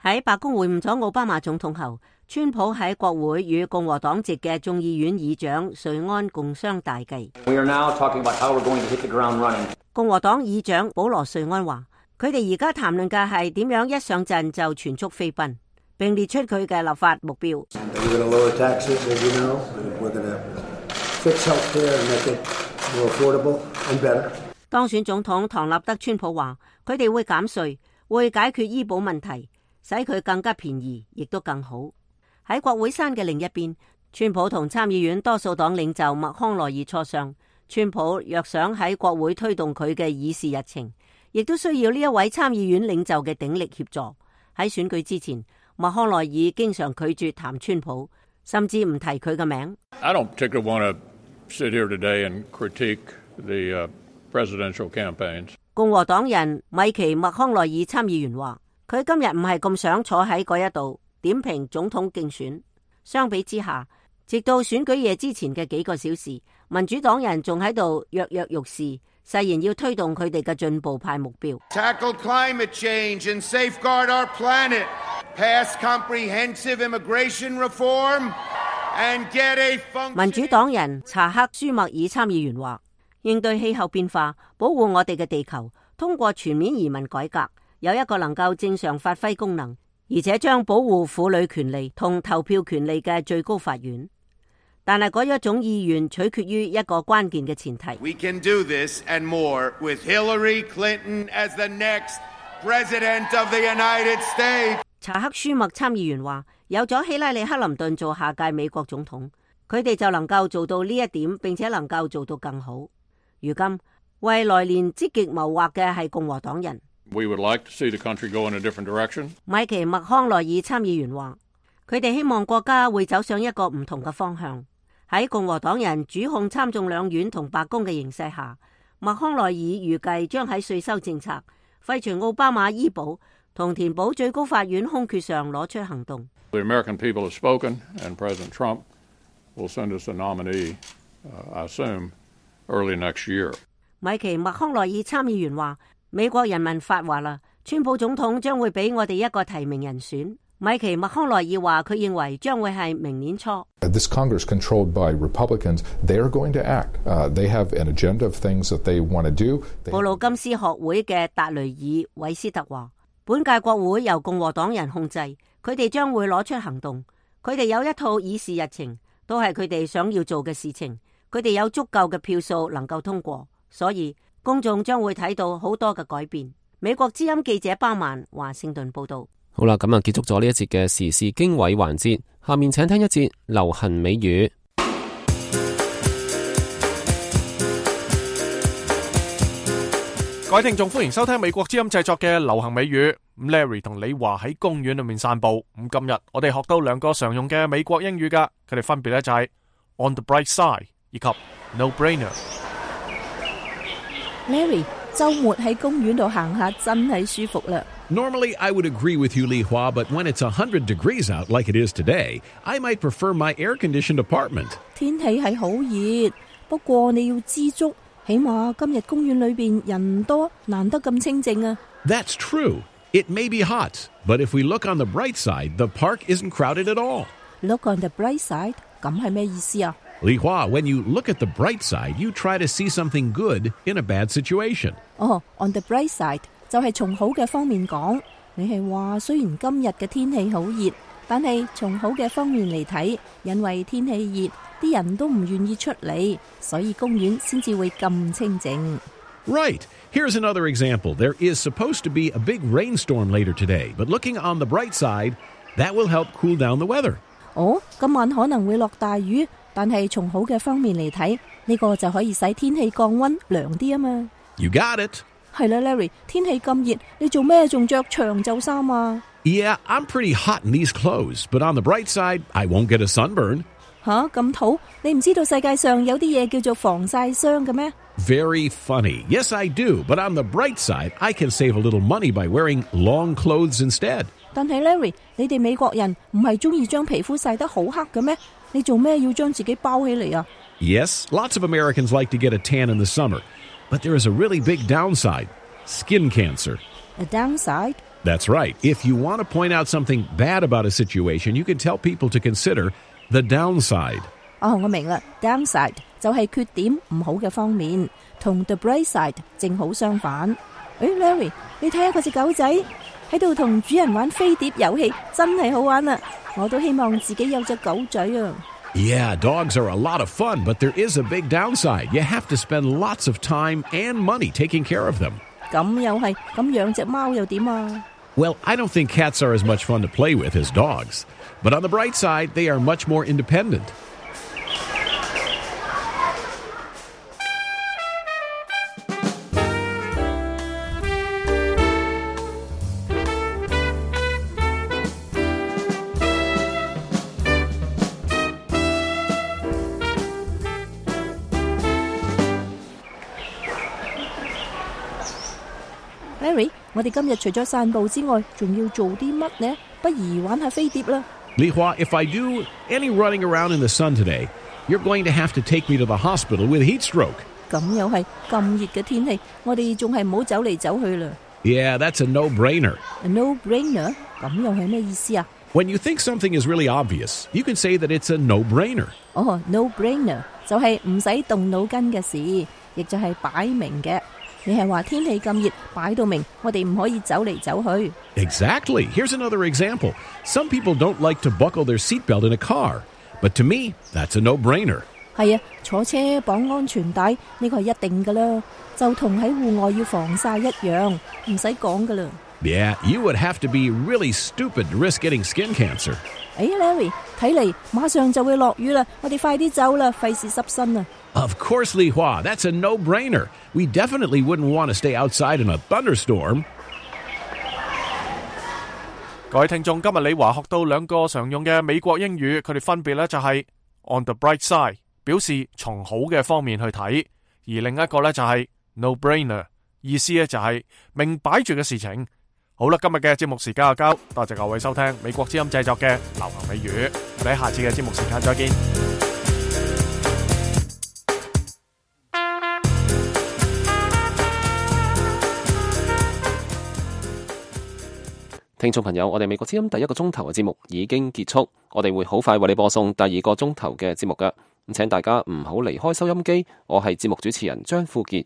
S11: 喺白宮會晤咗奧巴馬總統後，川普喺國會與共和黨籍嘅眾議院議長瑞安共商大計。共和黨議長保羅瑞安話，佢哋而家談論嘅係點樣一上陣就全速飛奔，並列出佢嘅立法目標。當選總統唐納德川普話，佢哋會減稅，會解決醫保問題，使佢更加便宜，亦都更好。喺國會山嘅另一邊，川普同參議院多數黨領袖麥康奈爾磋商。川普若想喺國會推動佢嘅議事日程，亦都需要呢一位參議院領袖嘅鼎力協助。喺選舉之前，麥康奈爾經常拒絕談川普，甚至唔提佢嘅名。
S12: I don't particularly want to sit here today and critique the presidential campaigns.
S11: 共和黨人米奇麥康奈爾參議員話，佢今日唔係咁想坐喺嗰一度點評總統競選。相比之下，直到選舉夜之前嘅幾個小時，民主黨人仲喺度躍躍欲試，誓言要推動佢哋嘅進步派目標。
S13: Tackle climate change and safeguard our planet. Pass comprehensive immigration reform and get a function.
S11: 民主黨人查克舒默爾參議員話，應對氣候變化，保護我哋嘅地球，通過全面移民改革，有一個能夠正常發揮功能，而且將保護婦女權利同投票權利嘅最高法院。但係嗰一種意願取決於一個關鍵嘅前提。
S13: We can do this and more with Hillary Clinton as the next president of the United States.
S11: 查克舒默參議員話，有咗希拉里克林頓做下屆美國總統，佢哋就能夠做到呢一點，並且能夠做到更好。如今為來年積極謀劃嘅係共和黨人。
S12: We would like to see the country go in a different direction.
S11: 米奇麥康奈爾參議員話，佢哋希望國家會走上一個唔同嘅方向。喺共和黨人主控參眾兩院同白宮嘅形勢下，麥康奈爾預計將喺稅收政策、廢除奧巴馬醫保同填補最高法院空缺上攞出行動。
S12: The American people have spoken, and President Trump will send us a nominee, I assume, early next year.
S11: 米奇麥康奈爾參議員話，美國人民發話啦，川普總統將會俾我哋一個提名人選。米奇麥康奈爾話，佢認為將會係明年初。
S14: This Congress controlled by Republicans, they are going to act. They have an agenda of things that they want to do.
S11: 布魯金斯學會嘅達雷爾韋斯特話，本屆國會由共和黨人控制，佢哋將會攞出行動。佢哋有一套議事日程，都係佢哋想要做嘅事情。佢哋有足夠嘅票數能夠通過，所以公眾將會睇到好多嘅改變。美國之音記者巴曼華盛頓報道。
S3: 好啦，咁啊結束咗呢一節嘅時事經緯環節，下面請聽一節流行美語。
S2: 各位聽眾，歡迎收聽美國之音製作嘅流行美語。Larry 同李華喺公園裏面散步。咁今日我哋學到兩個常用嘅美國英語噶，佢哋分別咧就係 on the bright side 以及 no brainer。Larry，
S10: 周末喺公園度行下真係舒服啦。
S15: Normally, I would agree with you, Li Hua, but when it's 100 degrees out like it is today, I might prefer my air-conditioned apartment.
S10: 天氣係好熱，不過你要知足，起碼今日公園裏邊人多，難得咁清靜啊。
S15: That's true. It may be hot, but if we look on the bright side, the park isn't crowded at all.
S10: Look on the bright side? 咁係咩意思啊？
S15: Li Hua, when you look at the bright side, you try to see something good in a bad situation.
S10: On the bright side 就係從好嘅方面講。你係話雖然今日嘅天氣好熱，但係從好嘅方面嚟睇，因為天氣熱，啲人都唔願意出嚟，所以公園先至會咁清靜。
S15: Right. Here's another example. There is supposed to be a big rainstorm later today, but looking on the bright side, that will help cool down the weather.
S10: 今晚可能會落大雨，但係從好嘅方面嚟睇，呢個就可以使天氣降溫涼啲啊嘛。
S15: You got it.
S10: 係啦 ，Larry， 天氣咁熱，你做咩仲着長袖衫啊？
S15: Yeah, I'm pretty hot in these clothes, but on the bright side, I won't get a sunburn.
S10: 咁土？你唔知道世界上有啲嘢叫做防曬霜嘅咩？
S15: Very funny. Yes, I do, but on the bright side, I can save a little money by wearing long clothes instead.
S10: 但係 Larry， 你哋美國人唔係中意將皮膚曬得好黑嘅咩？你做咩要將自己包起嚟啊？
S15: Yes, lots of Americans like to get a tan in the summer, but there is a really big downside: skin cancer.
S10: A downside?
S15: That's right. If you want to point out something bad about a situation, you can tell people to consider the downside.
S10: 我明啦 ，downside 就係缺點唔好嘅方面，同 the bright side 正好相反。Larry， 你睇下嗰隻狗仔喺度同主人玩飛碟遊戲，真係好玩啊！我都希望自己有隻狗仔啊。
S15: Yeah, dogs are a lot of fun, but there is a big downside. You have to spend lots of time and money taking care of them.
S10: 咁又係，咁養隻貓又點啊？
S15: Well, I don't think cats are as much fun to play with as dogs, but on the bright side, they are much more independent.
S10: Larry， 我哋今日除咗散步之外，仲要做啲乜呢？不如玩下飛碟啦。
S15: Li Hua, if I do any running around in the sun today, you're going to have to take me to the hospital with heat stroke.
S10: 咁又係咁熱嘅天氣，我哋仲係唔好走嚟走去啦。
S15: Yeah, that's a no-brainer.
S10: A no-brainer？ 咁又係咩意思啊？
S15: When you think something is really obvious, you can say that it's a no-brainer.
S10: No-brainer 就係唔使動腦筋嘅事，亦就係擺明嘅。你係話天氣咁熱，擺到明，我哋唔可以走嚟走去。
S15: Exactly. Here's another example. Some people don't like to buckle their seatbelt in a car, but to me, that's a no-brainer.
S10: 係啊，坐車綁安全帶呢個係一定噶啦，就同喺戶外要防曬一樣，唔使講噶啦。
S15: Yeah, you would have to be really stupid to risk getting skin cancer.
S10: Larry， 睇嚟馬上就會落雨啦，我哋快啲走啦，費事濕身啊！
S15: Of course, Li Hua, that's a no-brainer. We definitely wouldn't want to stay outside in a thunderstorm.
S2: 各位聽眾，今日李華學到兩個常用嘅美國英語，佢哋分別咧就係 on the bright side， 表示從好嘅方面去睇，而另一個咧就係 no-brainer， 意思咧就係明擺住嘅事情。好啦，今日嘅節目時間就交，多謝各位收聽美國之音製作嘅流行美語，我哋喺下次嘅節目時間再見。
S3: 聽眾朋友，我哋美國之音第一個鐘頭嘅節目已經結束，我哋會好快為你播送第二個鐘頭嘅節目㗎。咁請大家唔好離開收音機，我係節目主持人張富傑。